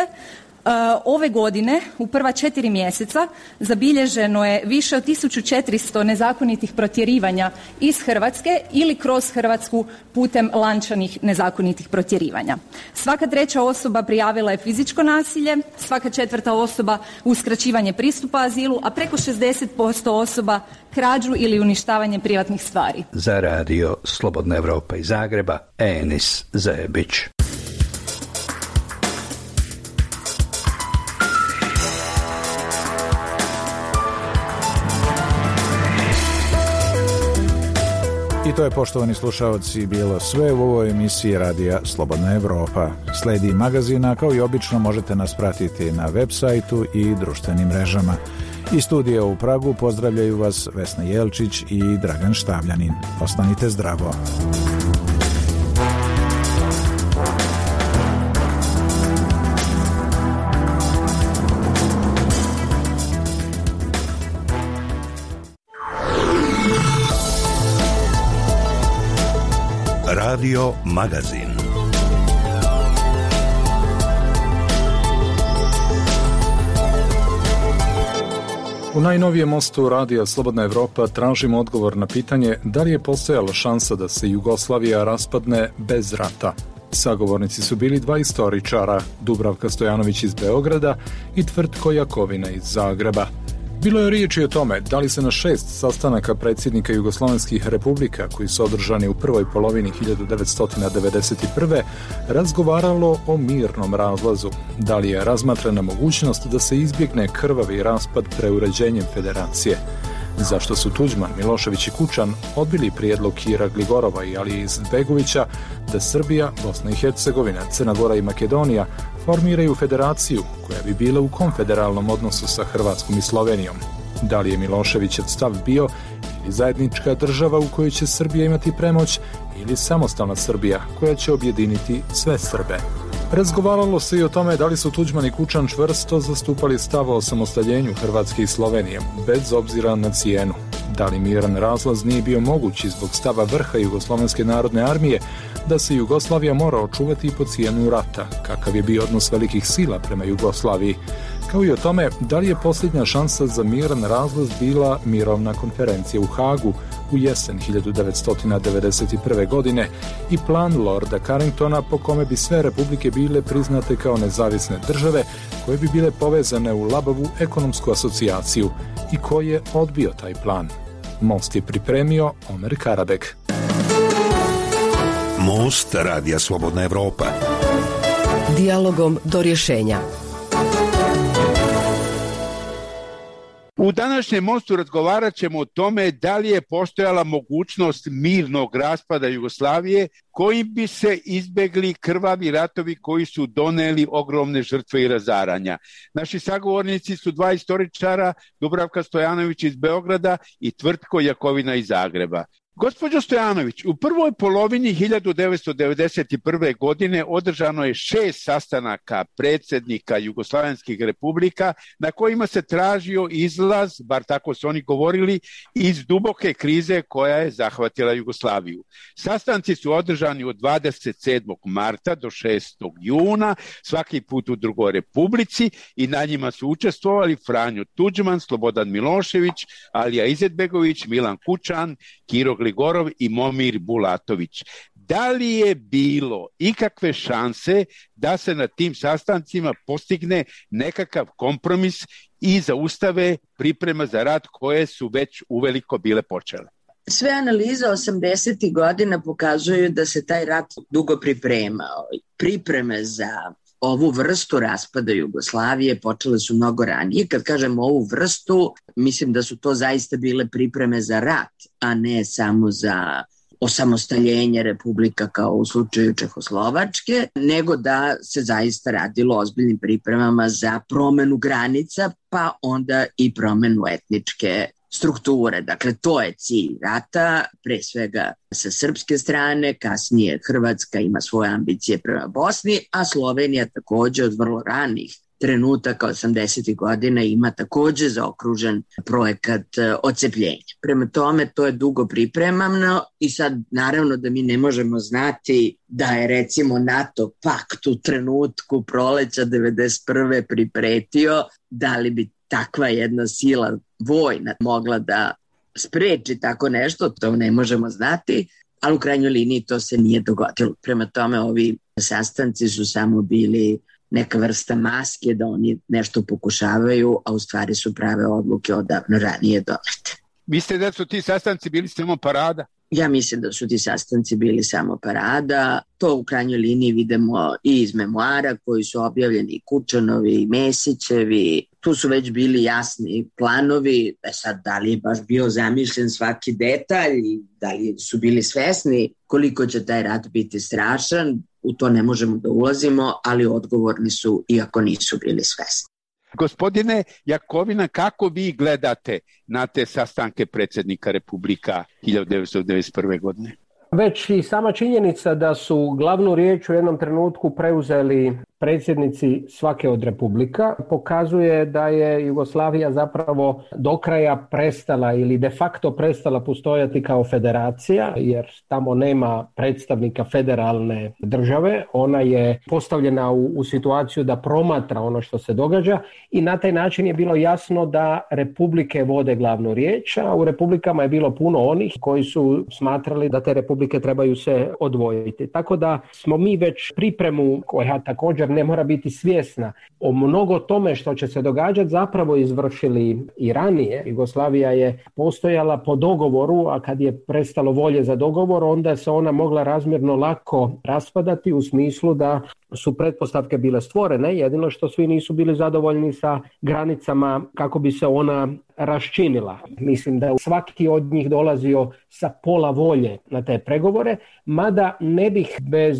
ove godine u prva 4 mjeseca zabilježeno je više od 1400 nezakonitih protjerivanja iz Hrvatske ili kroz Hrvatsku putem lančanih nezakonitih protjerivanja. Svaka 3. osoba prijavila je fizičko nasilje, svaka 4. osoba uskraćivanje pristupa azilu, a preko 60% osoba krađu ili uništavanje privatnih stvari. Za Radio Slobodna Evropa iz Zagreba, Enis Zebić. I to je, poštovani slušaoci, bilo sve u ovoj emisiji Radija Slobodna Evropa. Sledi magazina, kao i obično možete nas pratiti na web sajtu i društvenim mrežama. Iz studija u Pragu pozdravljaju vas Vesna Jelčić i Dragan Štavljanin. Ostanite zdravo. Radio Magazin. U najnovijem mostu radija Slobodna Evropa tražimo odgovor na pitanje da li je postojala šansa da se Jugoslavija raspadne bez rata. Sagovornici su bili dva istoričara, Dubravka Stojanović iz Beograda i Tvrtko Jakovina iz Zagreba. Bilo je riječi o tome da li se na 6 sastanaka predsjednika Jugoslovenskih republika koji su održani u prvoj polovini 1991. razgovaralo o mirnom razlazu, da li je razmatrana mogućnost da se izbjegne krvavi raspad preuređenjem federacije. Zašto su Tuđman, Milošević i Kučan odbili prijedlog Kira Gligorova i Alije Izetbegovića da Srbija, Bosna i Hercegovina, Crna Gora i Makedonija formiraju federaciju koja bi bila u konfederalnom odnosu sa Hrvatskom i Slovenijom? Da li je Miloševićev stav bio ili zajednička država u kojoj će Srbija imati premoć ili samostalna Srbija koja će objediniti sve Srbe? Razgovaralo se i o tome da li su Tuđman i Kučan čvrsto zastupali stav o osamostaljenju Hrvatske i Slovenije, bez obzira na cijenu. Da li miran razlaz nije bio mogući zbog stava vrha Jugoslovenske narodne armije da se Jugoslavija mora očuvati i po cijenu rata, kakav je bio odnos velikih sila prema Jugoslaviji, kao i o tome da li je posljednja šansa za miran razlaz bila mirovna konferencija u Hagu u jesen 1991. godine i plan Lorda Carringtona po kome bi sve republike bile priznate kao nezavisne države koje bi bile povezane u labavu ekonomsku asocijaciju i ko je odbio taj plan. Most je pripremio Omer Karabek. Most radija Slobodna Evropa. Dijalogom do rješenja. U današnjem mostu razgovarat ćemo o tome da li je postojala mogućnost mirnog raspada Jugoslavije kojim bi se izbjegli krvavi ratovi koji su doneli ogromne žrtve i razaranja. Naši sagovornici su dva istoričara, Dubravka Stojanović iz Beograda i Tvrtko Jakovina iz Zagreba. Gospođo Stojanović, u prvoj polovini 1991. godine održano je 6 sastanaka predsjednika Jugoslavenskih republika na kojima se tražio izlaz, bar tako su oni govorili, iz duboke krize koja je zahvatila Jugoslaviju. Sastanci su održani od 27. marta do 6. juna, svaki put u drugoj republici i na njima su učestvovali Franjo Tuđman, Slobodan Milošević, Alija Izetbegović, Milan Kučan, Kiro Gligorov i Momir Bulatović. Da li je bilo ikakve šanse da se na tim sastancima postigne nekakav kompromis i zaustave priprema za rat koje su već uveliko bile počele? Sve analize 80. godina pokazuju da se taj rat dugo pripremao. Pripreme za ovu vrstu raspada Jugoslavije počele su mnogo ranije. Kad kažemo ovu vrstu, mislim da su to zaista bile pripreme za rat, a ne samo za osamostaljenje republika kao u slučaju Čehoslovačke, nego da se zaista radilo o ozbiljnim pripremama za promenu granica, pa onda i promenu etničke strukture. Dakle, to je cilj rata, pre svega sa srpske strane, kasnije Hrvatska ima svoje ambicije prema Bosni, a Slovenija također od vrlo ranih trenutaka 80. godina ima također zaokružen projekat odcepljenja. Prema tome, to je dugo pripremano i sad naravno da mi ne možemo znati da je recimo NATO pakt u trenutku proleća 91. pripretio da li bi takva jedna sila vojna mogla da spreči tako nešto, to ne možemo znati, ali u krajnjoj liniji to se nije dogodilo. Prema tome, ovi sastanci su samo bili neka vrsta maske da oni nešto pokušavaju, a u stvari su prave odluke odavno ranije donete. Mislite da su ti sastanci bili samo parada? Ja mislim da su ti sastanci bili samo parada. To u krajnjoj liniji vidimo i iz memoara koji su objavljeni, Kučanovi i Mesićevi. Tu su već bili jasni planovi. Sad, da li je baš bio zamišljen svaki detalj i da li su bili svesni koliko će taj rat biti strašan, u to ne možemo da ulazimo, ali odgovorni su iako nisu bili svesni. Gospodine Jakovina, kako vi gledate na te sastanke predsjednika Republika 1991. godine? Već i sama činjenica da su glavnu riječ u jednom trenutku preuzeli predsjednici svake od republika pokazuje da je Jugoslavija zapravo do kraja prestala ili de facto prestala postojati kao federacija, jer tamo nema predstavnika federalne države. Ona je postavljena u situaciju da promatra ono što se događa i na taj način je bilo jasno da republike vode glavnu riječ, a u republikama je bilo puno onih koji su smatrali da te republike trebaju se odvojiti. Tako da smo mi već pripremu, koja također ne mora biti svjesna o mnogo tome što će se događati, zapravo izvršili i ranije. Jugoslavija je postojala po dogovoru, a kad je prestalo volje za dogovor, onda se ona mogla razmjerno lako raspadati u smislu da su pretpostavke bile stvorene, jedino što svi nisu bili zadovoljni sa granicama kako bi se ona raščinila. Mislim da je svaki od njih dolazio sa pola volje na te pregovore, mada ne bih bez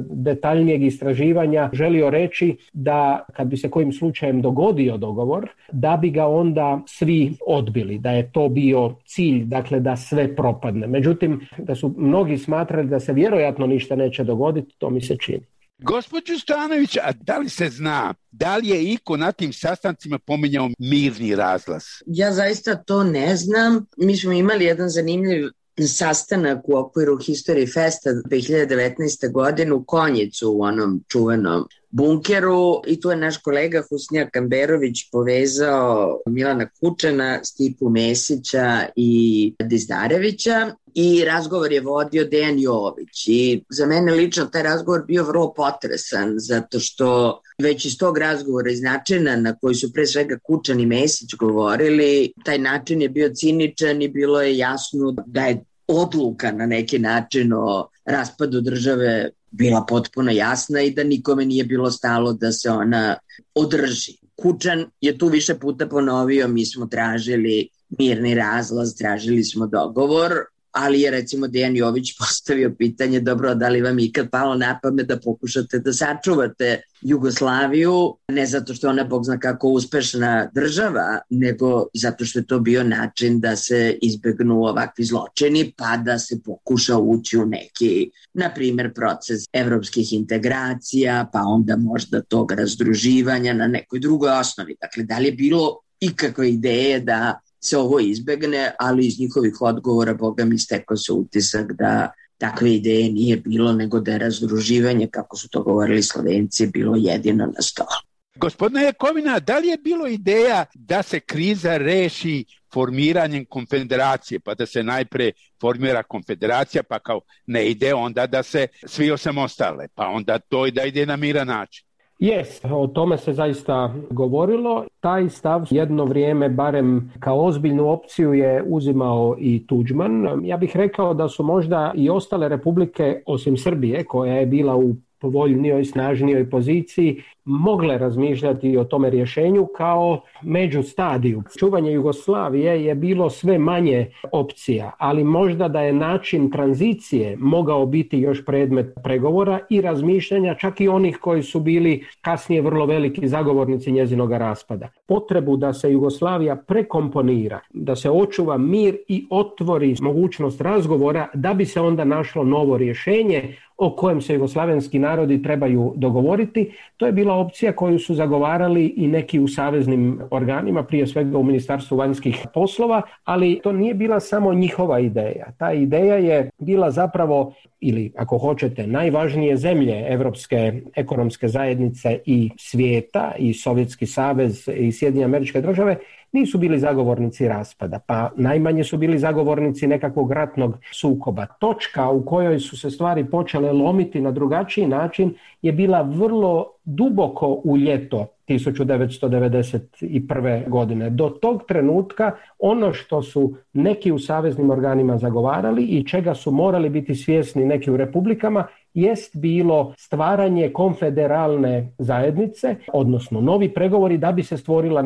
detaljnijeg istraživanja želio reći da kad bi se kojim slučajem dogodio dogovor, da bi ga onda svi odbili, da je to bio cilj, dakle da sve propadne. Međutim, da su mnogi smatrali da se vjerojatno ništa neće dogoditi, to mi se čini. Gospođo Stanović, a da li se zna, da li je iko na tim sastancima pominjao mirni razlaz? Ja zaista to ne znam. Mi smo imali jedan zanimljiv sastanak u okviru History Festa 2019. godine u Konjicu, u onom čuvenom bunkeru, i tu je naš kolega Husnija Kamberović povezao Milana Kučana, Stipu Mesića i Dizdarevića i razgovor je vodio Dejan Jović. I za mene lično taj razgovor bio vrlo potresan, zato što već iz tog razgovora, iz načina na koji su pre svega Kučan i Mesić govorili, taj način je bio ciničan i bilo je jasno da je odluka na neki način o raspadu države bila potpuno jasna i da nikome nije bilo stalo da se ona održi. Kučan je tu više puta ponovio, mi smo tražili mirni razlaz, tražili smo dogovor, ali je recimo Dejan Jović postavio pitanje, dobro, da li vam ikad palo na pamet da pokušate da sačuvate Jugoslaviju, ne zato što ona bog zna kako uspešna država, nego zato što je to bio način da se izbegnu ovakvi zločini, pa da se pokuša ući u neki, na primjer, proces evropskih integracija, pa onda možda tog razdruživanja na nekoj drugoj osnovi. Dakle, da li je bilo ikakve ideje da se ovo izbegne, ali iz njihovih odgovora, boga mi, stekao se utisak da takve ideje nije bilo, nego da je razdruživanje, kako su to govorili Slovenci, bilo jedino na stolu. Gospodine Jakovina, da li je bilo ideja da se kriza reši formiranjem konfederacije, pa da se najpre formira konfederacija, pa kao ne ide, onda da se svi osamostale, pa onda to i da ide na miran način? Jest, o tome se zaista govorilo. Taj stav jedno vrijeme, barem kao ozbiljnu opciju, je uzimao i Tuđman. Ja bih rekao da su možda i ostale republike, osim Srbije, koja je bila u povoljnijoj, snažnijoj poziciji, mogle razmišljati o tome rješenju kao međustadiju. Čuvanje Jugoslavije je bilo sve manje opcija, ali možda da je način tranzicije mogao biti još predmet pregovora i razmišljanja čak i onih koji su bili kasnije vrlo veliki zagovornici njezinog raspada. Potrebu da se Jugoslavija prekomponira, da se očuva mir i otvori mogućnost razgovora da bi se onda našlo novo rješenje o kojem se jugoslavenski narodi trebaju dogovoriti, to je bila opcija koju su zagovarali i neki u saveznim organima, prije svega u Ministarstvu vanjskih poslova, ali to nije bila samo njihova ideja. Ta ideja je bila zapravo, ili ako hoćete, najvažnije zemlje Evropske ekonomske zajednice i svijeta, i Sovjetski savez i Sjedinjene Američke Države, nisu bili zagovornici raspada, pa najmanje su bili zagovornici nekakvog ratnog sukoba. Točka u kojoj su se stvari počele lomiti na drugačiji način je bila vrlo duboko u ljeto 1991. godine. Do tog trenutka ono što su neki u saveznim organima zagovarali i čega su morali biti svjesni neki u republikama jest bilo stvaranje konfederalne zajednice, odnosno novi pregovori da bi se stvorila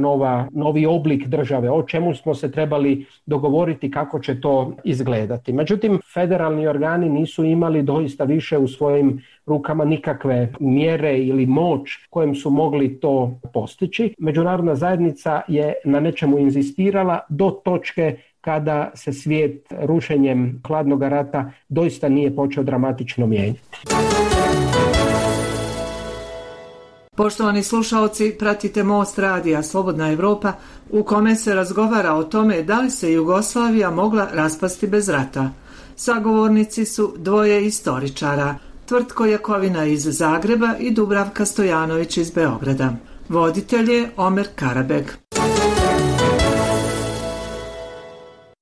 novi oblik države, o čemu smo se trebali dogovoriti kako će to izgledati. Međutim, federalni organi nisu imali doista više u svojim rukama nikakve mjere ili moć kojim su mogli to postići. Međunarodna zajednica je na nečemu inzistirala do točke kada se svijet rušenjem hladnog rata doista nije počeo dramatično mijenjati. Poštovani slušaoci, pratite Most radija Slobodna Evropa u kome se razgovara o tome da li se Jugoslavija mogla raspasti bez rata. Sagovornici su dvoje istoričara, Tvrtko Jakovina iz Zagreba i Dubravka Stojanović iz Beograda. Voditelj je Omer Karabeg.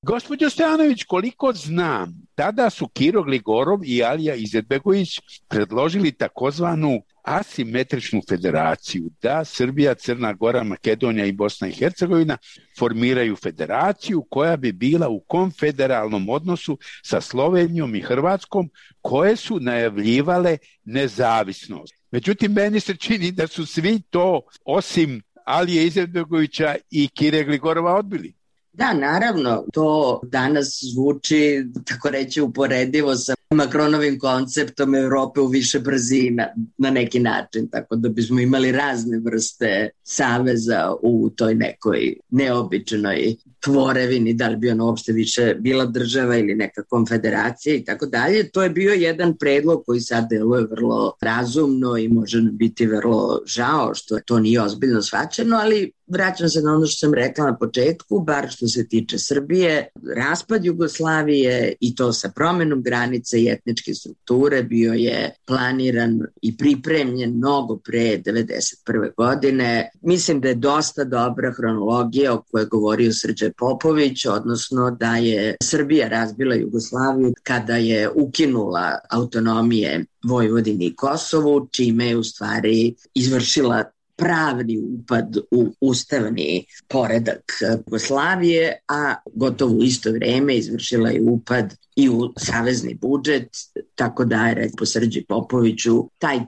Gospođo Stojanović, koliko znam, tada su Kiro Gligorov i Alija Izetbegović predložili takozvanu asimetričnu federaciju, da Srbija, Crna Gora, Makedonija i Bosna i Hercegovina formiraju federaciju koja bi bila u konfederalnom odnosu sa Slovenijom i Hrvatskom, koje su najavljivale nezavisnost. Međutim, meni se čini da su svi to, osim Alije Izetbegovića i Kire Gligorova, odbili. Da, naravno, to danas zvuči, tako reći, uporedivo sa Macronovim konceptom Evrope u više brzina na neki način, tako da bismo imali razne vrste saveza u toj nekoj neobičnoj tvorevini, da li bi ono uopšte više bila država ili neka konfederacija i tako dalje. To je bio jedan predlog koji sad deluje vrlo razumno i može biti vrlo žao što to nije ozbiljno shvaćeno, ali vraćam se na ono što sam rekla na početku, bar što se tiče Srbije, raspad Jugoslavije i to sa promenom granice i etničke strukture bio je planiran i pripremljen mnogo pre 1991. godine. Mislim da je dosta dobra hronologija o kojoj je govorio Srđan Popović, odnosno da je Srbija razbila Jugoslaviju kada je ukinula autonomije Vojvodini i Kosovu, čime je u stvari izvršila pravni upad u ustavni poredak Jugoslavije, a gotovo u isto vrijeme izvršila je upad i u savezni budžet, tako da je po Srđi Popoviću taj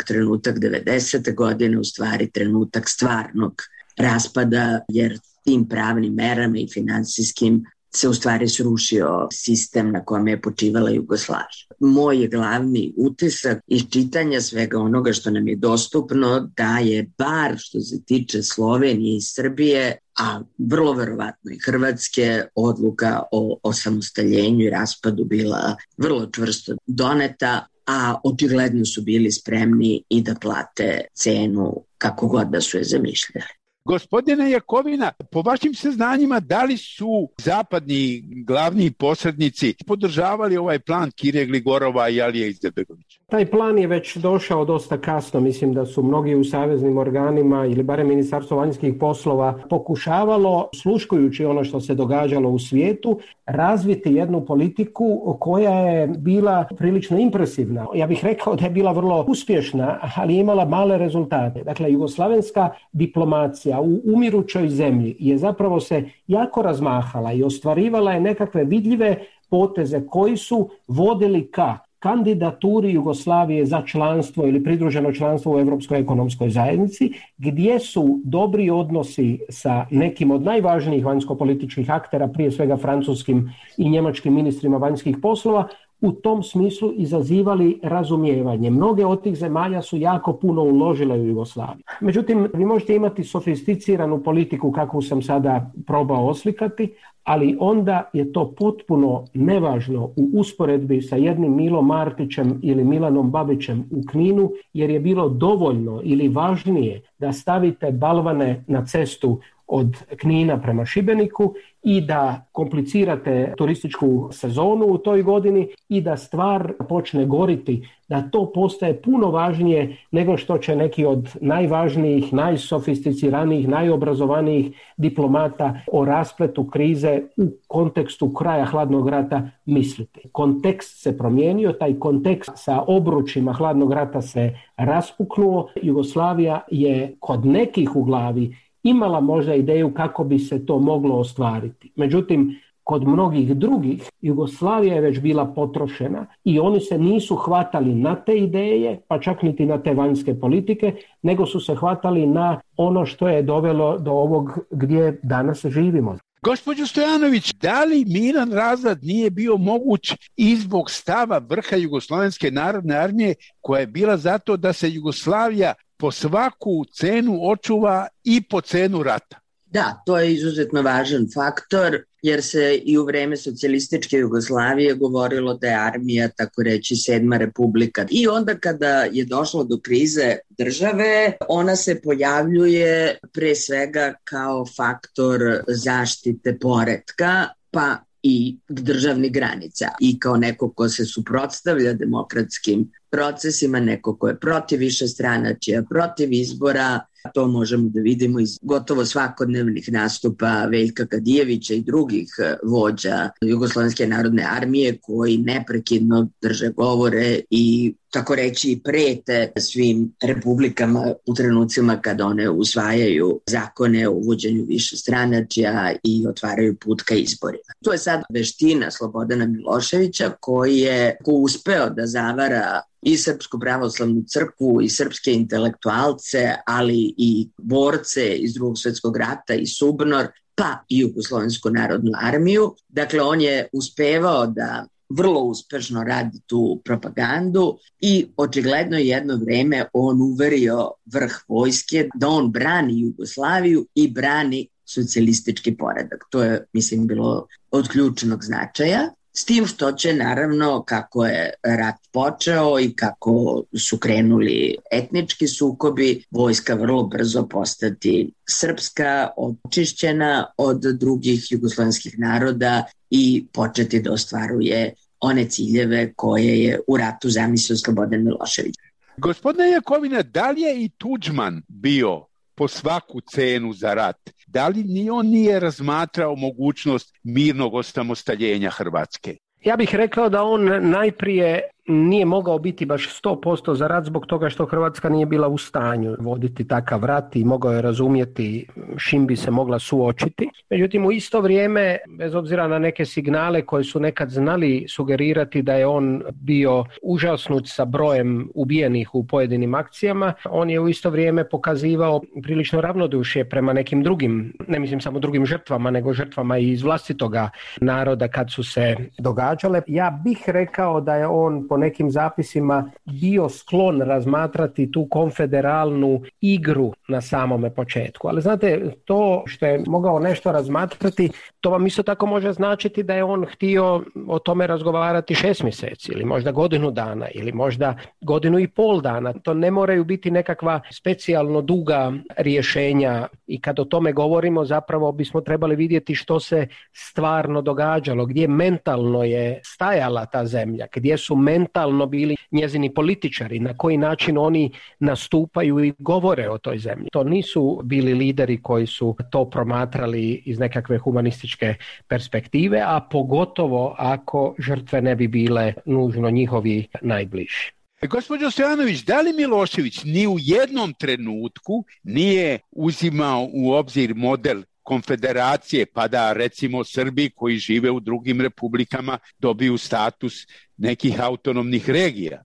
trenutak 90. godine u stvari trenutak stvarnog raspada, jer tim pravnim merama i finansijskim se u stvari srušio sistem na kome je počivala Jugoslavija. Moj je glavni utisak iz čitanja svega onoga što nam je dostupno da je bar što se tiče Slovenije i Srbije, a vrlo verovatno i Hrvatske, odluka o osamostaljenju i raspadu bila vrlo čvrsto doneta, a očigledno su bili spremni i da plate cenu kako god da su je zamišljali. Gospodine Jakovina, po vašim saznanjima, da li su zapadni glavni posrednici podržavali ovaj plan Kire Gligorova i Alije Izetbegovića? Taj plan je već došao dosta kasno. Mislim da su mnogi u saveznim organima ili barem Ministarstvo vanjskih poslova pokušavalo, sluškujući ono što se događalo u svijetu, razviti jednu politiku koja je bila prilično impresivna. Ja bih rekao da je bila vrlo uspješna, ali imala male rezultate. Dakle, jugoslavenska diplomacija u umirućoj zemlji je zapravo se jako razmahala i ostvarivala je nekakve vidljive poteze koji su vodili ka kandidaturi Jugoslavije za članstvo ili pridruženo članstvo u Europskoj ekonomskoj zajednici, gdje su dobri odnosi sa nekim od najvažnijih vanjskopolitičkih aktera, prije svega francuskim i njemačkim ministrima vanjskih poslova, u tom smislu izazivali razumijevanje. Mnoge od tih zemalja su jako puno uložile u Jugoslaviju. Međutim, vi možete imati sofisticiranu politiku kakvu sam sada probao oslikati, ali onda je to potpuno nevažno u usporedbi sa jednim Milom Martićem ili Milanom Babićem u Kninu, jer je bilo dovoljno ili važnije da stavite balvane na cestu od Knina prema Šibeniku i da komplicirate turističku sezonu u toj godini i da stvar počne goriti, da to postaje puno važnije nego što će neki od najvažnijih, najsofisticiranijih, najobrazovanijih diplomata o raspletu krize u kontekstu kraja hladnog rata misliti. Kontekst se promijenio, taj kontekst sa obručima hladnog rata se raspuknuo. Jugoslavija je kod nekih u glavi imala možda ideju kako bi se to moglo ostvariti. Međutim, kod mnogih drugih, Jugoslavija je već bila potrošena i oni se nisu hvatali na te ideje, pa čak niti na te vanjske politike, nego su se hvatali na ono što je dovelo do ovog gdje danas živimo. Gospođo Stojanović, da li miran razlad nije bio moguć i zbog stava vrha Jugoslovenske narodne armije koja je bila zato da se Jugoslavija po svaku cenu očuva i po cenu rata? Da, to je izuzetno važan faktor, jer se i u vreme socijalističke Jugoslavije govorilo da je armija, tako reći, 7. republika. I onda kada je došlo do krize države, ona se pojavljuje pre svega kao faktor zaštite poretka, pa i državnih granica. I kao neko ko se suprotstavlja demokratskim procesima, neko ko je protiv višestranačja, protiv izbora. To možemo da vidimo iz gotovo svakodnevnih nastupa Veljka Kadijevića i drugih vođa Jugoslovenske narodne armije koji neprekidno drže govore i tako reći prete svim republikama u trenucima kada one usvajaju zakone o uvođenju višestranačja i otvaraju put ka izborima. To je sad veština Slobodana Miloševića koji je uspeo da zavara i Srpsku pravoslavnu crkvu i srpske intelektualce, ali i borce iz Drugog svjetskog rata i SUBNOR, pa i Jugoslovensku narodnu armiju. Dakle, on je uspevao da vrlo uspešno radi tu propagandu i očigledno jedno vreme on uverio vrh vojske da on brani Jugoslaviju i brani socijalistički poredak. To je, mislim, bilo od ključnog značaja. S tim što će, naravno, kako je rat počeo i kako su krenuli etnički sukobi, vojska vrlo brzo postati srpska, očišćena od drugih jugoslovenskih naroda i početi da ostvaruje one ciljeve koje je u ratu zamislio Slobodan Milošević. Gospodine Jakovina, da li je i Tuđman bio po svaku cenu za rat? Da li ni on nije razmatrao mogućnost mirnog osamostaljenja Hrvatske? Ja bih rekao da on najprije nije mogao biti baš 100% za rat zbog toga što Hrvatska nije bila u stanju voditi takav rat i mogao je razumjeti čim bi se mogla suočiti. Međutim, u isto vrijeme, bez obzira na neke signale koje su nekad znali sugerirati da je on bio užasnut sa brojem ubijenih u pojedinim akcijama, on je u isto vrijeme pokazivao prilično ravnodušje prema nekim drugim, ne mislim samo drugim žrtvama, nego žrtvama iz vlastitoga naroda kad su se događale. Ja bih rekao da je on po nekim zapisima bio sklon razmatrati tu konfederalnu igru na samome početku. Ali znate, to što je mogao nešto razmatrati, to vam isto tako može značiti da je on htio o tome razgovarati 6 mjeseci ili možda godinu dana ili možda godinu i pol dana. To ne moraju biti nekakva specijalno duga rješenja i kad o tome govorimo zapravo bismo trebali vidjeti što se stvarno događalo, gdje mentalno je stajala ta zemlja, gdje su mentalno bili njezini političari, na koji način oni nastupaju i govore o toj zemlji. To nisu bili lideri koji su to promatrali iz nekakve humanističke perspektive, a pogotovo ako žrtve ne bi bile nužno njihovi najbliži. Gospođo Stojanović, da li Milošević ni u jednom trenutku nije uzimao u obzir model konfederacije, pa da recimo Srbi koji žive u drugim republikama dobiju status nekih autonomnih regija?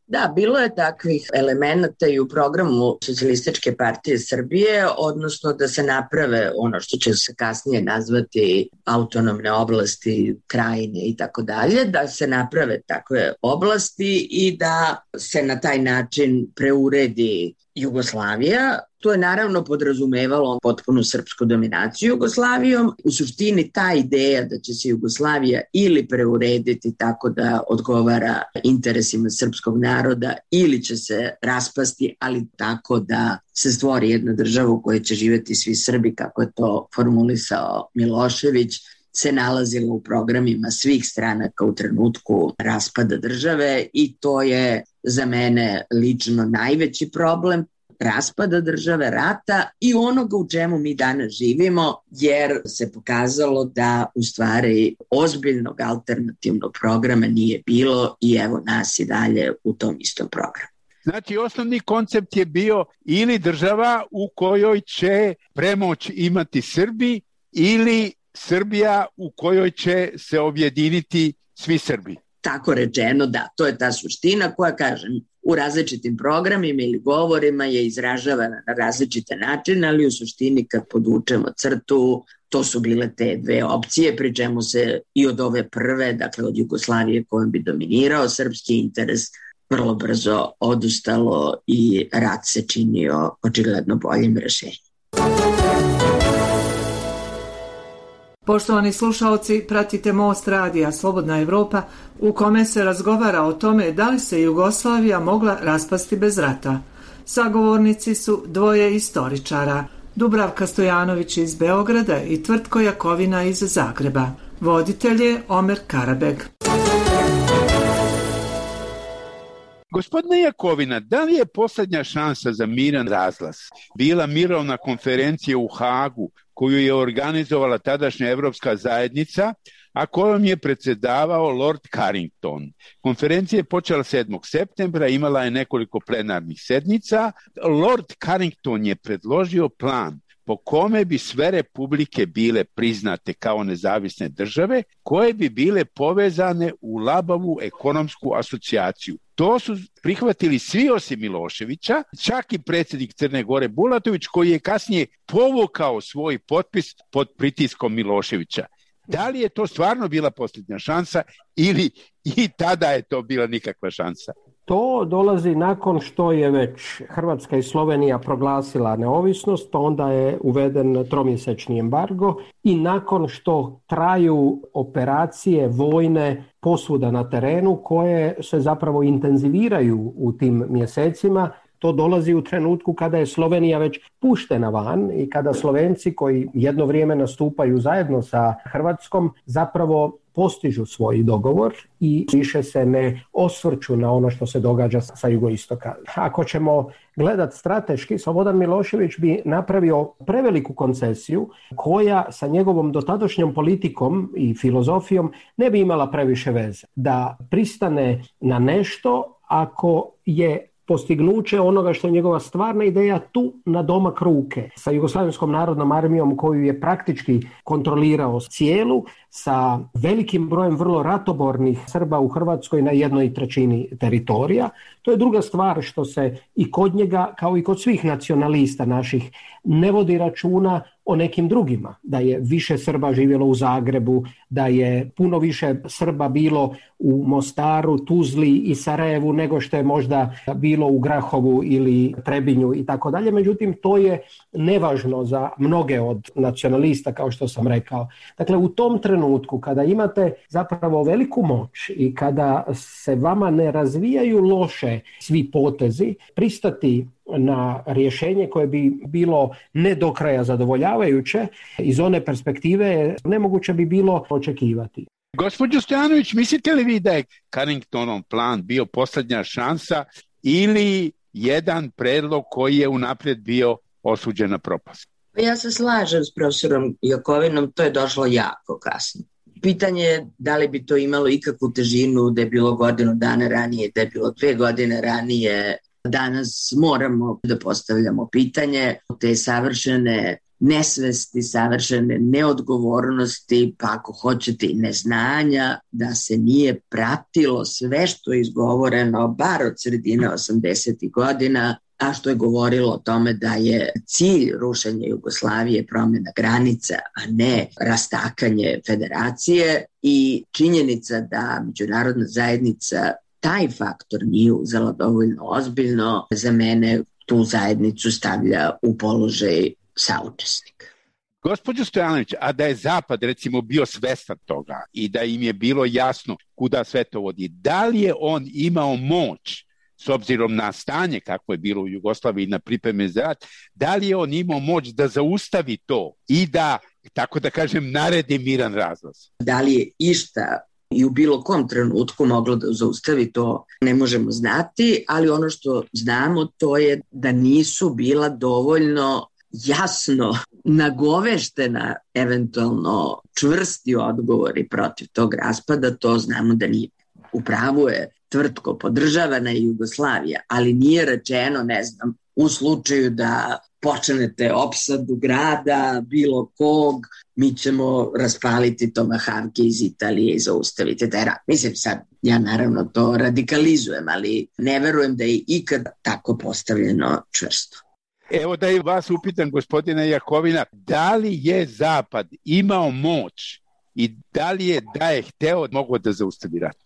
Da, bilo je takvih elemenata i u programu Socijalističke partije Srbije, odnosno da se naprave ono što će se kasnije nazvati autonomne oblasti, krajine i tako dalje, da se naprave takve oblasti i da se na taj način preuredi Jugoslavija. To je naravno podrazumevalo potpunu srpsku dominaciju Jugoslavijom. U suštini ta ideja da će se Jugoslavija ili preurediti tako da odgovara interesima srpskog naroda ili će se raspasti, ali tako da se stvori jedna država u kojoj će živjeti svi Srbi, kako je to formulisao Milošević, se nalazila u programima svih stranaka u trenutku raspada države i to je za mene lično najveći problem raspada države, rata i onoga u čemu mi danas živimo, jer se pokazalo da u stvari ozbiljnog alternativnog programa nije bilo i evo nas i dalje u tom istom programu. Znači, osnovni koncept je bio ili država u kojoj će premoć imati Srbi ili Srbija u kojoj će se objediniti svi Srbi. Tako rečeno, da, to je ta suština koja, kažem, u različitim programima ili govorima je izražavana na različite načine, ali u suštini kad podvučemo crtu, to su bile te dve opcije, pri čemu se i od ove prve, dakle od Jugoslavije kojom bi dominirao srpski interes, vrlo brzo odustalo i rat se činio očigledno boljim rešenjem. Poštovani slušaoci, pratite Most radija Slobodna Evropa u kome se razgovara o tome da li se Jugoslavija mogla raspasti bez rata. Sagovornici su dvoje istoričara, Dubravka Stojanović iz Beograda i Tvrtko Jakovina iz Zagreba. Voditelj je Omer Karabeg. Gospodine Jakovina, da li je posljednja šansa za miran razlaz bila mirovna konferencija u Hagu koju je organizovala tadašnja Evropska zajednica, a kojom je predsjedavao Lord Carrington? Konferencija je počela 7. septembra, imala je nekoliko plenarnih sednica. Lord Carrington je predložio plan po kome bi sve republike bile priznate kao nezavisne države, koje bi bile povezane u labavu ekonomsku asocijaciju. To su prihvatili svi osim Miloševića, čak i predsjednik Crne Gore Bulatović, koji je kasnije povukao svoj potpis pod pritiskom Miloševića. Da li je to stvarno bila posljednja šansa ili i tada je to bila nikakva šansa? To dolazi nakon što je već Hrvatska i Slovenija proglasila neovisnost, pa onda je uveden tromjesečni embargo i nakon što traju operacije vojne posvuda na terenu koje se zapravo intenziviraju u tim mjesecima. To dolazi u trenutku kada je Slovenija već puštena van i kada Slovenci koji jedno vrijeme nastupaju zajedno sa Hrvatskom zapravo postižu svoj dogovor i više se ne osvrću na ono što se događa sa jugoistoka. Ako ćemo gledati strateški, Slobodan Milošević bi napravio preveliku koncesiju koja sa njegovom dotadašnjom politikom i filozofijom ne bi imala previše veze. Da pristane na nešto ako je postignuće onoga što je njegova stvarna ideja tu na domak ruke. Sa Jugoslavenskom narodnom armijom koju je praktički kontrolirao cijelu, sa velikim brojem vrlo ratobornih Srba u Hrvatskoj na 1/3 teritorija. To je druga stvar što se i kod njega, kao i kod svih nacionalista naših, ne vodi računa o nekim drugima. Da je više Srba živjelo u Zagrebu, da je puno više Srba bilo u Mostaru, Tuzli i Sarajevu nego što je možda bilo u Grahovu ili Trebinju i tako dalje. Međutim, to je nevažno za mnoge od nacionalista, kao što sam rekao. Dakle, u tom trenutku kada imate zapravo veliku moć i kada se vama ne razvijaju loše svi potezi, pristati na rješenje koje bi bilo ne do kraja zadovoljavajuće, iz one perspektive nemoguće bi bilo očekivati. Gospođo Stojanović, mislite li vi da je Carringtonov plan bio posljednja šansa ili jedan predlog koji je unaprijed bio osuđen na propast? Ja se slažem s profesorom Jakovinom, to je došlo jako kasno. Pitanje je da li bi to imalo ikakvu težinu da je bilo godinu dana ranije, da je bilo 2 godine ranije. Danas moramo da postavljamo pitanje te savršene nesvesti, savršene neodgovornosti, pa ako hoćete i neznanja, da se nije pratilo sve što je izgovoreno, bar od sredine 80. godina, a što je govorilo o tome da je cilj rušenja Jugoslavije promjena granica, a ne rastakanje federacije, i činjenica da međunarodna zajednica taj faktor nije uzela dovoljno ozbiljno, za mene tu zajednicu stavlja u položaj saučesnika. Gospođo Stojanović, a da je Zapad recimo bio svestan toga i da im je bilo jasno kuda sve to vodi, da li je on imao moć, s obzirom na stanje kako je bilo u Jugoslaviji na pripreme za rat, da li je on imao moć da zaustavi to i da, tako da kažem, naredi miran razlaz? Da li je išta i u bilo kom trenutku moglo da zaustavi to, ne možemo znati, ali ono što znamo to je da nisu bila dovoljno jasno nagoveštena eventualno čvrsti odgovori protiv tog raspada, to znamo da nije. U pravu je Tvrtko, podržavana je Jugoslavija, ali nije rečeno, ne znam, u slučaju da počnete opsadu grada, bilo kog, mi ćemo raspaliti tomahavke iz Italije i zaustaviti taj rat. Mislim sad, ja naravno to radikalizujem, ali ne verujem da je ikad tako postavljeno čvrsto. Evo da i vas upitam, gospodine Jakovina, da li je Zapad imao moć i da je hteo mogao da zaustavi rat?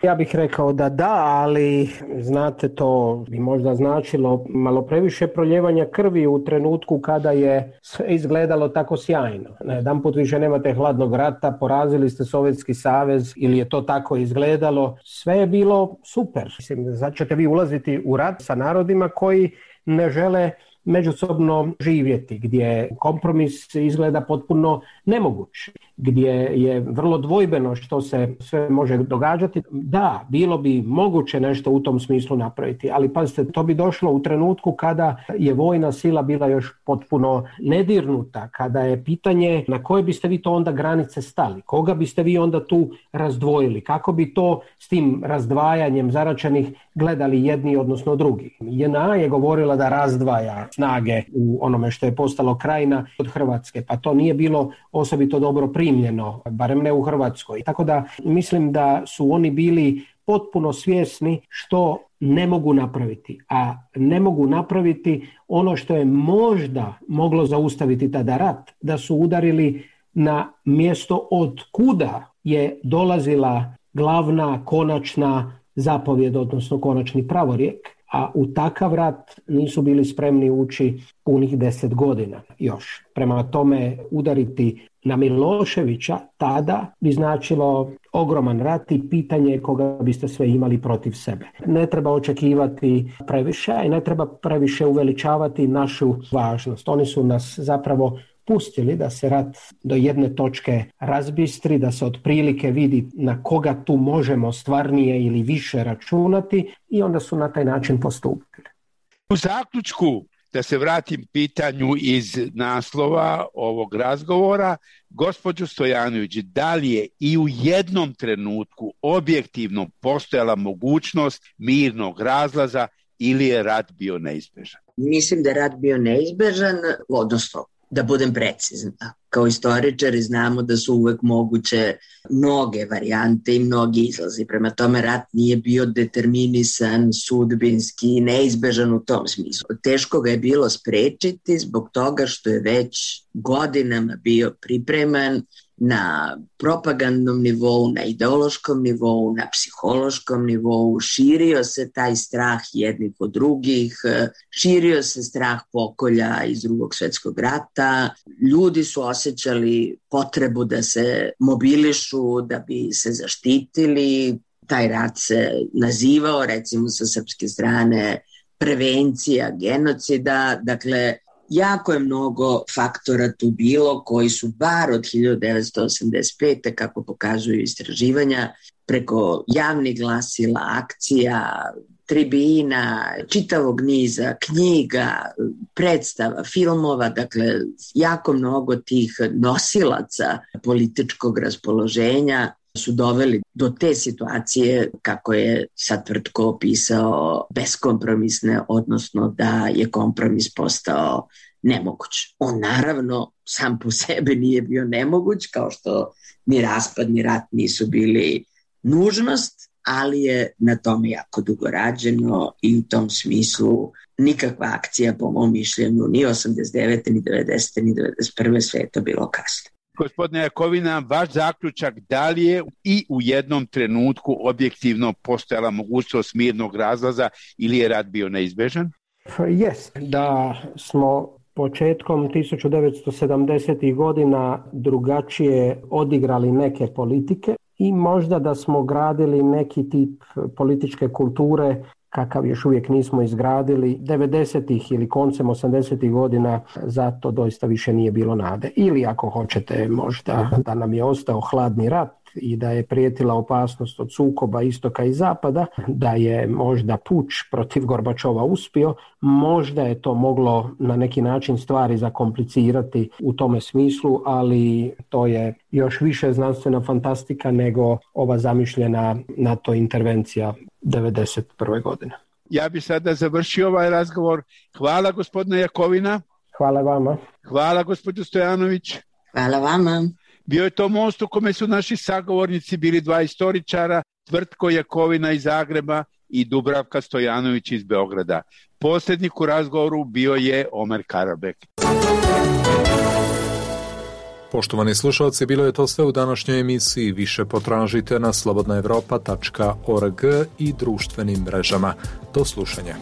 Ja bih rekao da, ali znate, to bi možda značilo malo previše proljevanja krvi u trenutku kada je sve izgledalo tako sjajno. Na jedan put više nemate hladnog rata, porazili ste Sovjetski savez ili je to tako izgledalo. Sve je bilo super. Mislim, sad ćete vi ulaziti u rat sa narodima koji ne žele međusobno živjeti, gdje kompromis izgleda potpuno nemoguć, gdje je vrlo dvojbeno što se sve može događati. Da, bilo bi moguće nešto u tom smislu napraviti, ali pazite, to bi došlo u trenutku kada je vojna sila bila još potpuno nedirnuta, kada je pitanje na koje biste vi to onda granice stali, koga biste vi onda tu razdvojili, kako bi to s tim razdvajanjem zaračenih gledali jedni odnosno drugi. JNA je govorila da razdvaja snage u onome što je postalo Krajina od Hrvatske, pa to nije bilo osobito dobro primljeno, barem ne u Hrvatskoj. Tako da mislim da su oni bili potpuno svjesni što ne mogu napraviti, a ne mogu napraviti ono što je možda moglo zaustaviti tada rat, da su udarili na mjesto od kuda je dolazila glavna konačna zapovjed, odnosno konačni pravorijek, a u takav rat nisu bili spremni ući punih 10 godina još. Prema tome, udariti na Miloševića tada bi značilo ogroman rat i pitanje koga biste sve imali protiv sebe. Ne treba očekivati previše i ne treba previše uveličavati našu važnost. Oni su nas zapravo pustili da se rat do jedne točke razbistri, da se otprilike vidi na koga tu možemo stvarnije ili više računati i onda su na taj način postupili. U zaključku, da se vratim pitanju iz naslova ovog razgovora, gospođo Stojanović, da li je i u jednom trenutku objektivno postojala mogućnost mirnog razlaza ili je rat bio neizbežan? Mislim da je rat bio neizbežan, odnosno da budem precizna. Kao istoričari znamo da su uvek moguće mnoge varijante i mnogi izlazi. Prema tome rat nije bio determinisan, sudbinski, neizbežan u tom smislu. Teško ga je bilo sprečiti zbog toga što je već godinama bio pripreman na propagandnom nivou, na ideološkom nivou, na psihološkom nivou. Širio se taj strah jednih od drugih, širio se strah pokolja iz Drugog svjetskog rata. Ljudi su osjećali potrebu da se mobilišu, da bi se zaštitili. Taj rat se nazivao, recimo sa srpske strane, prevencija genocida. Dakle, jako je mnogo faktora tu bilo koji su bar od 1985. kako pokazuju istraživanja, preko javnih glasila, akcija, tribina, čitavog niza, knjiga, predstava, filmova, dakle jako mnogo tih nosilaca političkog raspoloženja su doveli do te situacije, kako je sad Tvrtko opisao, beskompromisne, odnosno da je kompromis postao nemoguć. On naravno sam po sebi nije bio nemoguć, kao što ni raspad ni rat nisu bili nužnost, ali je na tome jako dugo rađeno i u tom smislu nikakva akcija, po mom mišljenju, ni 89. ni 90. ni 91. sve je to bilo kasno. Gospodine Jakovina, vaš zaključak, da li je i u jednom trenutku objektivno postojala mogućnost mirnog razlaza ili je rat bio neizbežan? Jest, da smo početkom 1970. godina drugačije odigrali neke politike i možda da smo gradili neki tip političke kulture kakav još uvijek nismo izgradili 90-ih ili koncem 80-ih godina, zato doista više nije bilo nade. Ili ako hoćete možda da nam je ostao hladni rat i da je prijetila opasnost od sukoba istoka i zapada, da je možda puč protiv Gorbačova uspio, možda je to moglo na neki način stvari zakomplicirati u tome smislu, ali to je još više znanstvena fantastika nego ova zamišljena NATO intervencija 1991. godine. Ja bih sada završio ovaj razgovor. Hvala gospodine Jakovina. Hvala vama. Hvala, gospođo Stojanović. Hvala vama. Bio je to most u kome su naši sagovornici bili dva istoričara, Tvrtko Jakovina iz Zagreba i Dubravka Stojanović iz Beograda. Posrednik u razgovoru bio je Omer Karabek. Poštovani slušalci, bilo je to sve u današnjoj emisiji. Više potražite na slobodnaevropa.org i društvenim mrežama. Do slušanja.